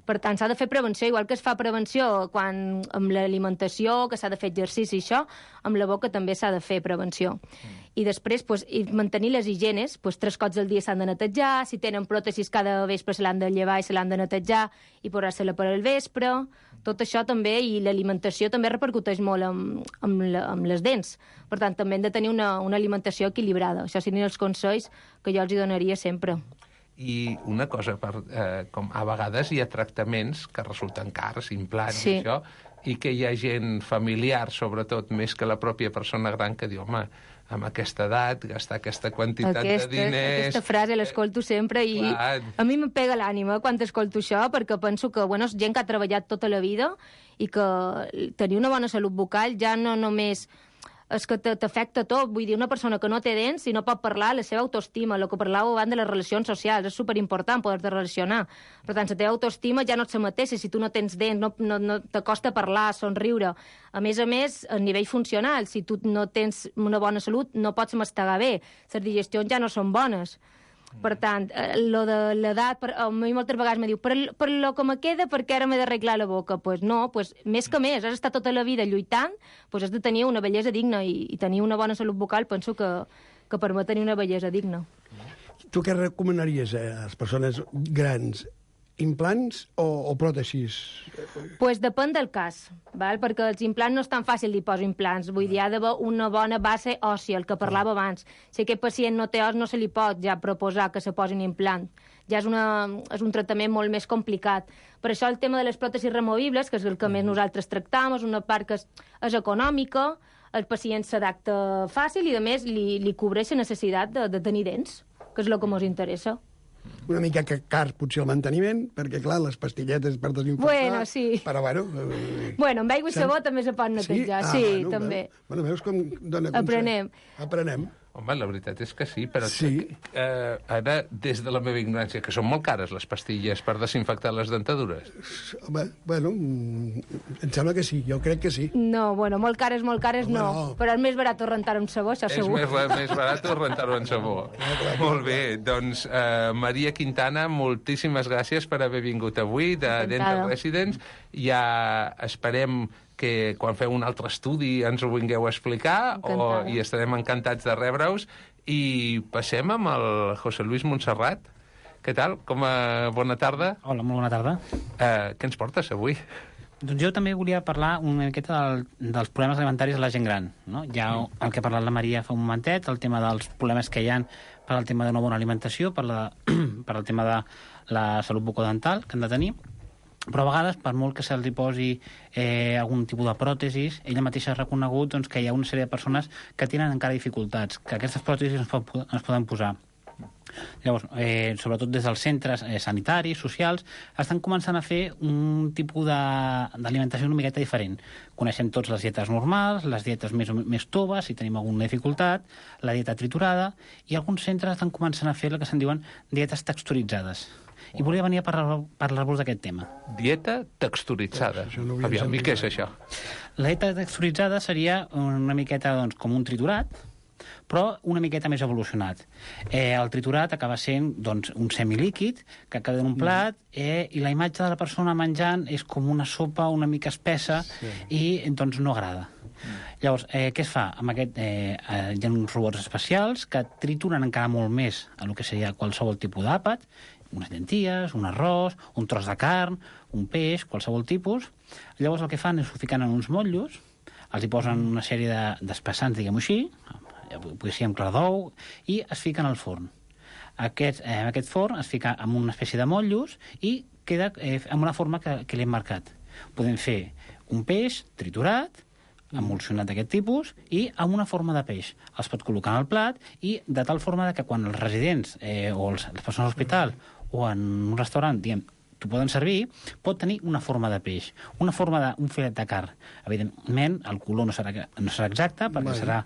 Per tant, s'ha de fer prevenció, igual que es fa prevenció quan, amb l'alimentació, que s'ha de fer exercici i això, amb la boca també s'ha de fer prevenció. Mm. I després, pues, i mantenir les higienes, pues, tres cops al dia s'han de netejar, si tenen pròtesis cada vespre se l'han de llevar i se l'han de netejar i posar-se-la per al vespre, tot això també, i l'alimentació també repercuteix molt amb, amb, la, amb les dents. Per tant, també hem de tenir una, una alimentació equilibrada. Això serien els consells que jo els hi donaria sempre. I una cosa, per, eh, com a vegades hi ha tractaments que resulten cars, implants sí. i això, i que hi ha gent familiar, sobretot, més que la pròpia persona gran, que diu, home, amb aquesta edat, gastar aquesta quantitat aquesta, de diners... Aquesta frase l'escolto sempre i Clar. a mi em pega l'ànima quan escolto això, perquè penso que, bueno, és gent que ha treballat tota la vida i que tenir una bona salut bucal ja no només és que t'afecta tot. Vull dir, una persona que no té dents, si no pot parlar, la seva autoestima, el que parlàveu abans de les relacions socials, és superimportant poder-te relacionar. Per tant, la teva autoestima ja no et la mateixa si tu no tens dents, no, no, no t'acosta parlar, somriure. A més a més, a nivell funcional, si tu no tens una bona salut, no pots mastegar bé. Les digestions ja no són bones. Per tant, eh, lo de l'edat, per, a mi moltes vegades me diu per, per lo que me queda, perquè ara m'he d'arreglar la boca. Doncs pues no, pues, més que més, has estat tota la vida lluitant, pues has de tenir una bellesa digna i, i tenir una bona salut bucal penso que, que permet tenir una bellesa digna. Tu què recomanaries a les persones grans? Implants o, o pròtesis? Pues depèn del cas, val? Perquè els implants no és tan fàcil de posar implants. Vull dir, ha d'haver una bona base òssia, el que parlava abans. Si aquest pacient no té os, no se li pot ja proposar que se posi un implant. Ja és, una, és un tractament molt més complicat. Per això el tema de les pròtesis removibles, que és el que més nosaltres tractam, és una part que és, és econòmica, el pacient s'adapta fàcil i, a més, li, li cobreix la necessitat de, de tenir dents, que és el que ens interessa. Una mica que car, potser, el manteniment, perquè, clar, les pastilletes per desinfectar... Bueno, sí. Però, bueno... Eh, bueno, amb aigua i sabó també se pot netejar, sí, ah, sí bueno, també. Bueno, veus com dona consell? Aprenem. Aprenem. Home, la veritat és que sí, però sí. Eh, ara, des de la meva ignorància, que són molt cares les pastilles per desinfectar les dentadures. Home, bueno, em sembla que sí, jo crec que sí. No, bueno, molt cares, molt cares Home, no. no, però és més barat rentar amb sabó, això segur. És més, més barat rentar-ho en sabó. Molt bé, doncs, eh, Maria Quintana, moltíssimes gràcies per haver vingut avui de Dental Residence. Ja esperem que quan feu un altre estudi ens ho vingueu a explicar o, i estarem encantats de rebre-us. I passem amb el José Luis Montserrat. Què tal? Com a bona tarda. Hola, molt bona tarda. Eh, què ens portes avui? Doncs jo també volia parlar una miqueta del, dels problemes alimentaris de la gent gran. No? Ja el que ha parlat la Maria fa un momentet, el tema dels problemes que hi ha per al tema de una bona alimentació, per, la, per al tema de la salut bucodental que han de tenir. Però a vegades, per molt que se'ls posi eh, algun tipus de pròtesis, ella mateixa ha reconegut doncs, que hi ha una sèrie de persones que tenen encara dificultats, que aquestes pròtesis es, pot, es poden posar. Llavors, eh, sobretot des dels centres eh, sanitaris, socials, estan començant a fer un tipus d'alimentació una miqueta diferent. Coneixem tots les dietes normals, les dietes més, més toves, si tenim alguna dificultat, la dieta triturada, i alguns centres estan començant a fer el que se'n diuen dietes texturitzades. I volia venir a parlar-vos parlar d'aquest tema. Dieta texturitzada. No Aviam, i què és això? La dieta texturitzada seria una miqueta doncs, com un triturat, però una miqueta més evolucionat. Eh, el triturat acaba sent doncs, un semilíquid que queda en un plat eh, i la imatge de la persona menjant és com una sopa una mica espessa sí. i doncs, no agrada. Llavors, eh, què es fa? Amb aquest, eh, eh, hi ha uns robots especials que trituren encara molt més a el que seria qualsevol tipus d'àpat, unes llenties, un arròs, un tros de carn, un peix, qualsevol tipus. Llavors el que fan és ho fiquen en uns motllos, els hi posen una sèrie d'espessants, diguem-ho així, potser ser amb clar d'ou, i es fiquen al forn. Aquest, eh, aquest forn es fica amb una espècie de motllos i queda eh, amb una forma que, que l'hem marcat. Podem fer un peix triturat, emulsionat d'aquest tipus, i amb una forma de peix. Els pot col·locar en el plat i de tal forma que quan els residents eh, o els, les persones a l'hospital o en un restaurant, diguem, t'ho poden servir, pot tenir una forma de peix, una forma d'un filet de carn. Evidentment, el color no serà, no serà exacte, perquè serà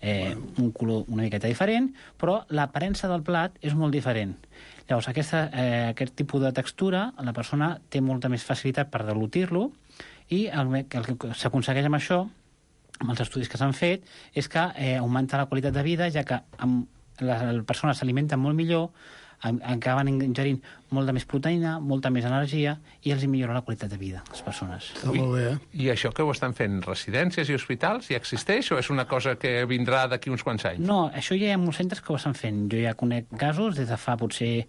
eh, un color una miqueta diferent, però l'aparença del plat és molt diferent. Llavors, aquesta, eh, aquest tipus de textura, la persona té molta més facilitat per deglutir-lo, i el, el que s'aconsegueix amb això, amb els estudis que s'han fet, és que eh, augmenta la qualitat de vida, ja que amb la, la persona s'alimenta molt millor, acaben ingerint molta més proteïna, molta més energia, i els millora la qualitat de vida, les persones. Està molt bé, eh? I això que ho estan fent residències i hospitals, ja existeix o és una cosa que vindrà d'aquí uns quants anys? No, això ja hi ha molts centres que ho estan fent. Jo ja conec casos des de fa potser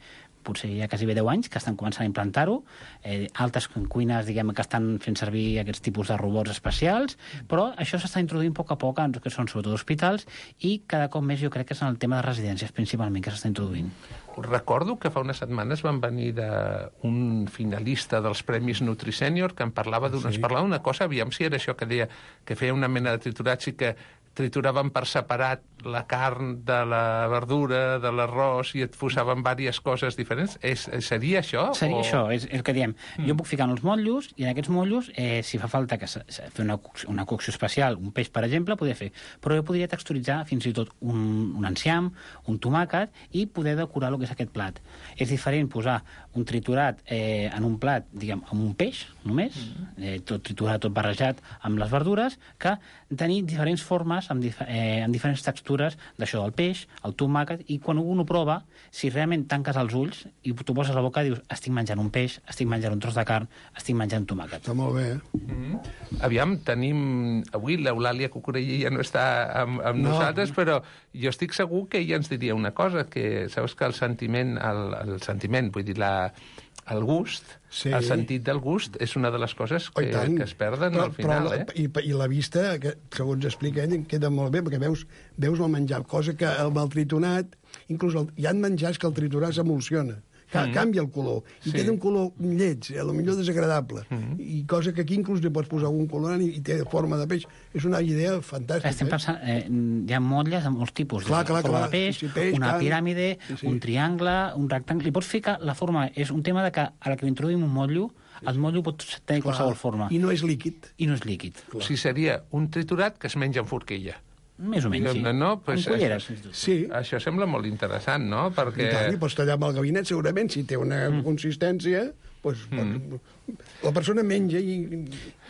potser ja quasi bé deu anys, que estan començant a implantar-ho, eh, altres cuines, diguem, que estan fent servir aquests tipus de robots especials, però això s'està introduint a poc a poc en que són sobretot hospitals, i cada cop més jo crec que és en el tema de residències principalment que s'està introduint. Recordo que fa unes setmanes van venir d'un finalista dels Premis NutriSènior que em parlava d'una sí. parlava d'una cosa, aviam si era això que deia, que feia una mena de triturat, sí que trituraven per separat la carn de la verdura, de l'arròs, i et posaven diverses coses diferents. És, seria això? Seria o... això, és el que diem. Mm. Jo puc ficar en els motllos, i en aquests motllos, eh, si fa falta que se, se, fer una, una cocció especial, un peix, per exemple, podria fer. Però jo podria texturitzar fins i tot un, un enciam, un tomàquet, i poder decorar el que és aquest plat. És diferent posar un triturat eh, en un plat, diguem, amb un peix, només, mm. eh, tot triturat, tot barrejat amb les verdures, que tenir diferents formes amb, dif eh, amb diferents textures d'això del peix, el tomàquet, i quan un ho prova, si realment tanques els ulls i tu poses a la boca, dius, estic menjant un peix, estic menjant un tros de carn, estic menjant tomàquet. Està molt bé, eh? Mm -hmm. Aviam, tenim... Avui l'Eulàlia Cucurella ja no està amb, amb no. nosaltres, però jo estic segur que ella ens diria una cosa, que saps que el sentiment, el, el sentiment, vull dir, la... el gust, sí. el sentit del gust, és una de les coses que, oh, que es perden però, al final. Però, eh? i, I la vista, que, segons explica ell, queda molt bé, perquè veus, veus el menjar, cosa que el, el tritonat, inclús el, hi ha menjars que el triturar s'emulsiona. Mm. Canvia el color, i sí. queda un color lleig, a lo millor desagradable, mm. i cosa que aquí inclús li pots posar un colorant i, i té forma de peix. És una idea fantàstica. Estem pensant, eh, hi ha motlles de molts tipus, clar, clar, forma clar. de peix, sí, sí, peix una can... piràmide, sí, sí. un triangle, un rectangle, li pots ficar la forma, és un tema de que a la que introduïm un motllo, el motllo pot tenir clar. qualsevol forma. I no és líquid. I no és líquid. Clar. O sigui, seria un triturat que es menja amb forquilla. Més o menys, sí. No? Pues amb culleres. Això, sí. Això sembla molt interessant, no? Perquè... I tant, i pots tallar amb el gabinet, segurament, si té una mm. consistència, pues, mm. la persona menja i...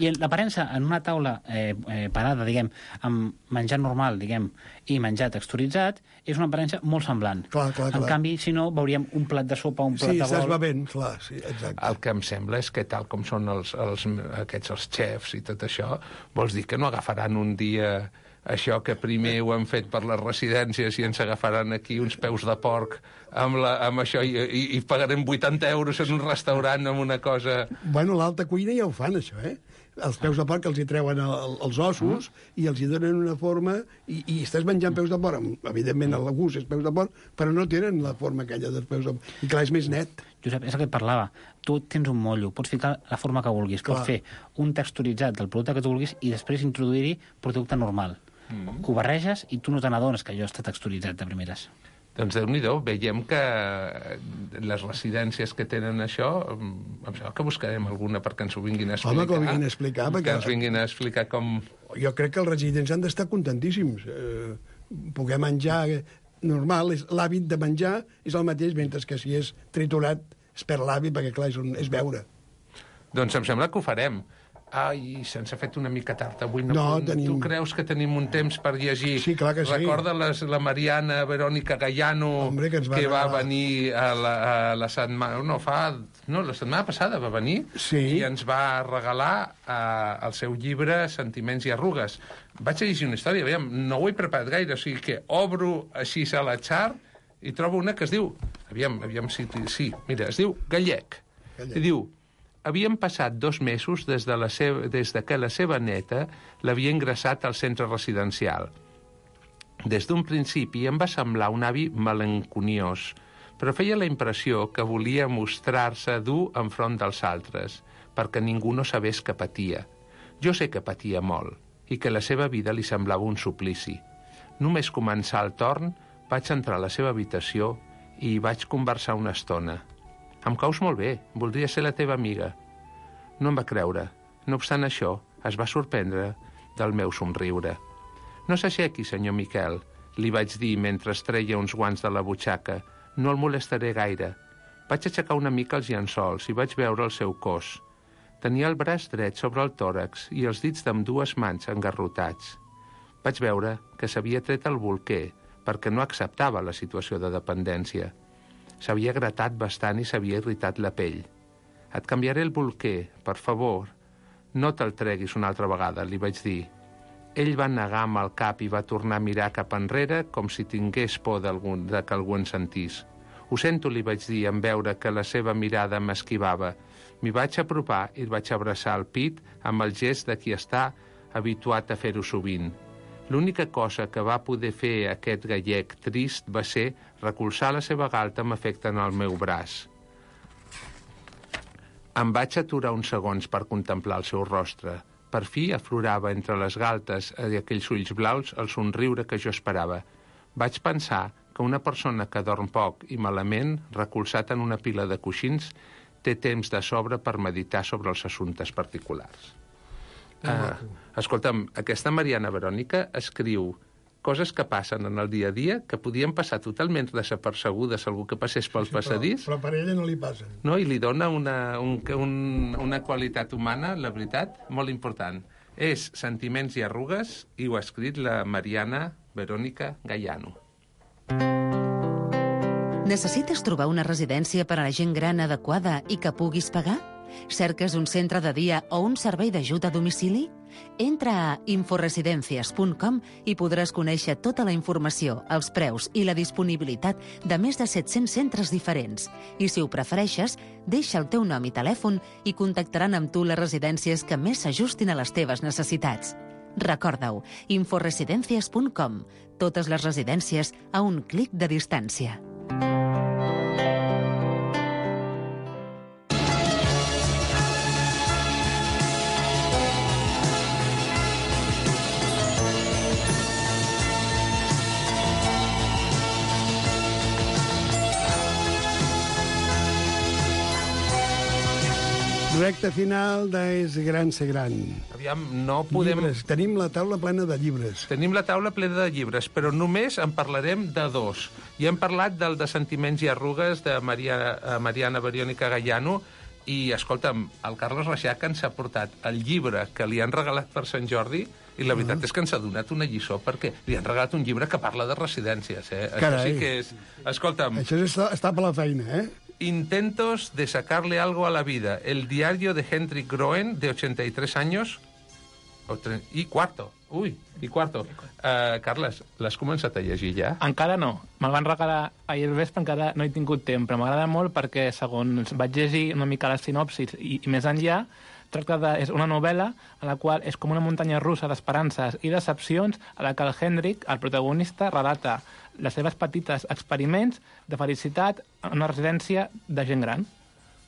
I l'aparença en una taula eh, eh, parada, diguem, amb menjar normal, diguem, i menjar texturitzat, és una aparença molt semblant. Clar, clar, clar. En canvi, si no, veuríem un plat de sopa, un plat sí, de bol... Sí, estàs bevent, clar, sí, exacte. El que em sembla és que tal com són els, els, aquests els xefs i tot això, vols dir que no agafaran un dia... això que primer ho han fet per les residències i ens agafaran aquí uns peus de porc amb, la, amb això i, i, i pagarem vuitanta euros en un restaurant amb una cosa... Bueno, l'alta cuina ja ho fan, això, eh? Els peus de porc els hi treuen el, els ossos mm. i els hi donen una forma i, i estàs menjant peus de porc. Evidentment, el gust és peus de porc, però no tenen la forma aquella dels peus de porc. I clar, és més net. Josep, és el que et parlava. Tu tens un motllo, pots ficar la forma que vulguis, clar. Pots fer un texturitzat del producte que tu vulguis i després introduir-hi producte normal. Mm. Que ho barreges i tu no te n'adones que allò està texturitzat de primeres. Doncs Déu-n'hi-do, veiem que les residències que tenen això, em sembla que buscarem alguna perquè ens ho vinguin a explicar. Home, que ho vinguin a explicar. Que perquè... ens vinguin a explicar com... Jo crec que els residents han d'estar contentíssims. Eh, poder menjar normal, l'hàbit de menjar és el mateix, mentre que si és triturat es perd l'hàbit, perquè clar, és, un, és beure. Doncs em sembla que ho farem. Ai, se'ns ha fet una mica tard avui. No, no, tenim... Tu creus que tenim un temps per llegir? Sí, clar que sí. Recorda les, la Mariana Verònica Gallano, Hombre, que, va, que va venir a la, a la setmana... No, fa... No, la setmana passada va venir sí. i ens va regalar uh, el seu llibre Sentiments i arrugues. Vaig a llegir una història, aviam, no ho he preparat gaire, o sigui que obro així a la xar i trobo una que es diu... Aviam, aviam si... Sí, mira, es diu Gallec. Gallec. I diu... Havien passat dos mesos des de, la seva, des de que la seva neta l'havia ingressat al centre residencial. Des d'un principi em va semblar un avi melanconiós, però feia la impressió que volia mostrar-se dur enfront dels altres, perquè ningú no sabés que patia. Jo sé que patia molt, i que la seva vida li semblava un suplici. Només començar el torn, vaig entrar a la seva habitació i hi vaig conversar una estona. Em caus molt bé, voldria ser la teva amiga. No em va creure. No obstant això, es va sorprendre del meu somriure. No s'aixequi, senyor Miquel, li vaig dir mentre es treia uns guants de la butxaca. No el molestaré gaire. Vaig aixecar una mica els llençols i vaig veure el seu cos. Tenia el braç dret sobre el tòrax i els dits d'ambdues mans engarrotats. Vaig veure que s'havia tret el bolquer perquè no acceptava la situació de dependència. S'havia gratat bastant i s'havia irritat la pell. Et canviaré el bolquer, per favor. No te'l treguis una altra vegada, li vaig dir. Ell va negar amb el cap i va tornar a mirar cap enrere com si tingués por de que algú en sentís. Ho sento, li vaig dir, en veure que la seva mirada m'esquivava. M'hi vaig apropar i el vaig abraçar al pit amb el gest de qui està habituat a fer-ho sovint. L'única cosa que va poder fer aquest gallec trist va ser recolzar la seva galta amb afecte en el meu braç. Em vaig aturar uns segons per contemplar el seu rostre. Per fi aflorava entre les galtes i aquells ulls blaus el somriure que jo esperava. Vaig pensar que una persona que dorm poc i malament, recolzat en una pila de coixins, té temps de sobre per meditar sobre els assumptes particulars. Uh, escolta'm, aquesta Mariana Verònica escriu coses que passen en el dia a dia que podien passar totalment desapercebudes a algú que passés pel Sí, passadís. Però, però per ella no li passen. No, i li dona una, un, un, una qualitat humana, la veritat, molt important. És Sentiments i arrugues i ho ha escrit la Mariana Verònica Gaiano. Necessites trobar una residència per a la gent gran adequada i que puguis pagar? Cerques un centre de dia o un servei d'ajut a domicili? Entra a inforesidencias punt com i podràs conèixer tota la informació, els preus i la disponibilitat de més de set-cents centres diferents. I si ho prefereixes, deixa el teu nom i telèfon i contactaran amb tu les residències que més s'ajustin a les teves necessitats. Recorda-ho, inforesidencias punt com. Totes les residències a un clic de distància. Recte final d'És gran ser gran. Aviam, no podem... Llibres. Tenim la taula plena de llibres. Tenim la taula plena de llibres, però només en parlarem de dos. I hem parlat del de Sentiments i arrugues de Maria, Mariana Verònica Gaiano i, escolta'm, el Carles Reixac ens ha portat el llibre que li han regalat per Sant Jordi i la veritat uh -huh. és que ens ha donat una lliçó perquè li han regalat un llibre que parla de residències. Eh? Això sí que és... Escolta'm... Això està, està per la feina, eh? Intentos de sacarle algo a la vida. El diario de Hendrik Groen, de ochenta y tres años, i quarto. Ui, i quarto. Uh, Carles, l'has començat a llegir ja? Encara no. Me'l van regalar ahir al vespre, encara no he tingut temps, però m'agrada molt perquè, segons vaig llegir una mica la sinopsis i, i més enllà, tracta de, és una novel·la en la qual és com una muntanya russa d'esperances i decepcions a la que el Hendrik, el protagonista, relata les seves petites experiments de felicitat en una residència de gent gran.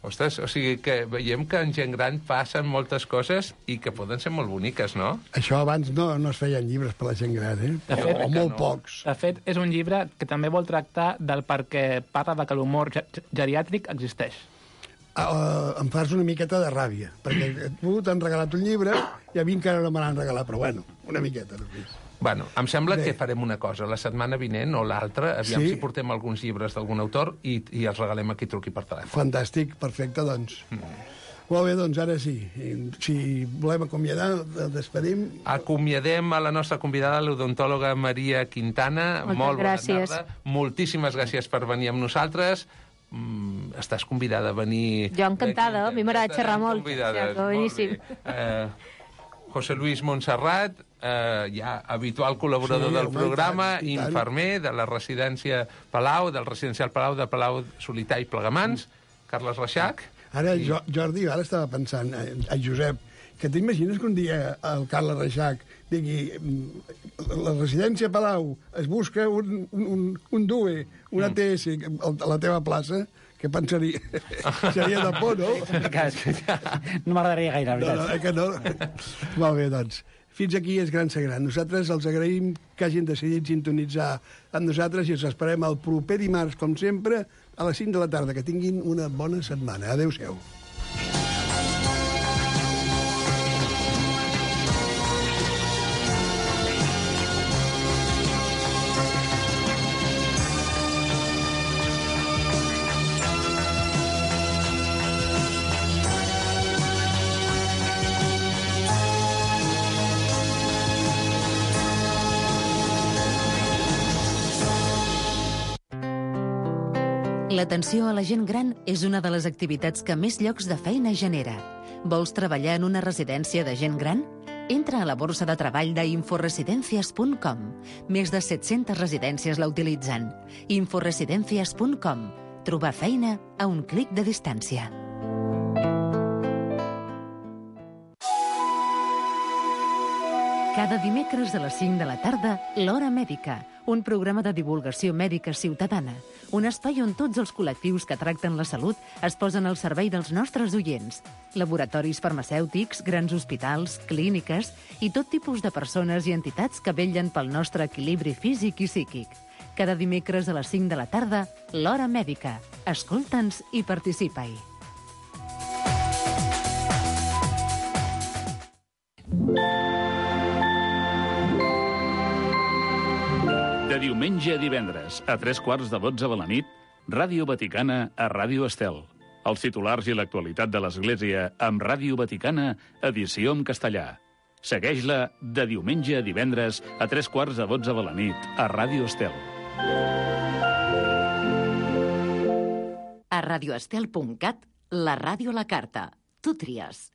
Ostres, o sigui que veiem que en gent gran passen moltes coses i que poden ser molt boniques, no? Això abans no, no es feien llibres per la gent gran, eh? De fet, o, o molt no. pocs. De fet, és un llibre que també vol tractar del perquè parla de que l'humor geriàtric existeix. Uh, em fas una miqueta de ràbia, perquè tu t'han regalat un llibre i a mi encara no me l'han regalat, però bueno, una miqueta només. Bueno, em sembla Bé. que farem una cosa. La setmana vinent o l'altra, aviam Sí. si portem alguns llibres d'algun autor i, i els regalem a qui truqui per telèfon. Fantàstic, perfecte, doncs. Mm. Molt bé, doncs ara sí. I, si volem acomiadar, el despedim. Acomiadem a la nostra convidada, l'odontòloga Maria Quintana. Moltes Molt bona gràcies. tarda. Moltíssimes gràcies per venir amb nosaltres. Mm, estàs convidada a venir... Jo encantada, a mi m'agrada xerrar molt. Convidades, Ja, boníssim. molt bé. Eh, José Luis Montserrat, eh, ja habitual col·laborador Sí, del home, programa, i tant, i tant. infermer de la residència Palau, del residencial Palau, de Palau Solità i Plegamans, Carles Reixac. Ara, jo, Jordi, ara estava pensant, a, a Josep, que t'imagines que un dia el Carles Reixac digui la residència Palau es busca un, un, un, un D U E, un A T S a la teva plaça, què pensaria? Seria de por, no? No m'agradaria gaire, la No, no, veritat. eh que no? Molt bé, doncs. Fins aquí és Gran ser gran. Nosaltres els agraïm que hagin decidit sintonitzar amb nosaltres i els esperem el proper dimarts, com sempre, a les cinc de la tarda. Que tinguin una bona setmana. Adéu-siau. L'atenció a la gent gran és una de les activitats que més llocs de feina genera. Vols treballar en una residència de gent gran? Entra a la borsa de treball d'inforesidencias punt com. Més de set-centes residències la utilitzen. inforesidencias punt com. Trobar feina a un clic de distància. Cada dimecres a les cinc de la tarda, L'Hora Mèdica, un programa de divulgació mèdica ciutadana, un espai on tots els col·lectius que tracten la salut es posen al servei dels nostres oients. Laboratoris farmacèutics, grans hospitals, clíniques i tot tipus de persones i entitats que vetllen pel nostre equilibri físic i psíquic. Cada dimecres a les cinc de la tarda, L'Hora Mèdica. Escolta'ns i participa-hi. De diumenge a divendres, a tres quarts de dotze de la nit, Ràdio Vaticana a Ràdio Estel. Els titulars i l'actualitat de l'Església amb Ràdio Vaticana, edició en castellà. Segueix-la de diumenge a divendres a tres quarts de dotze de la nit a Ràdio Estel. A radioestel punt cat, la ràdio a la carta. Tu tries.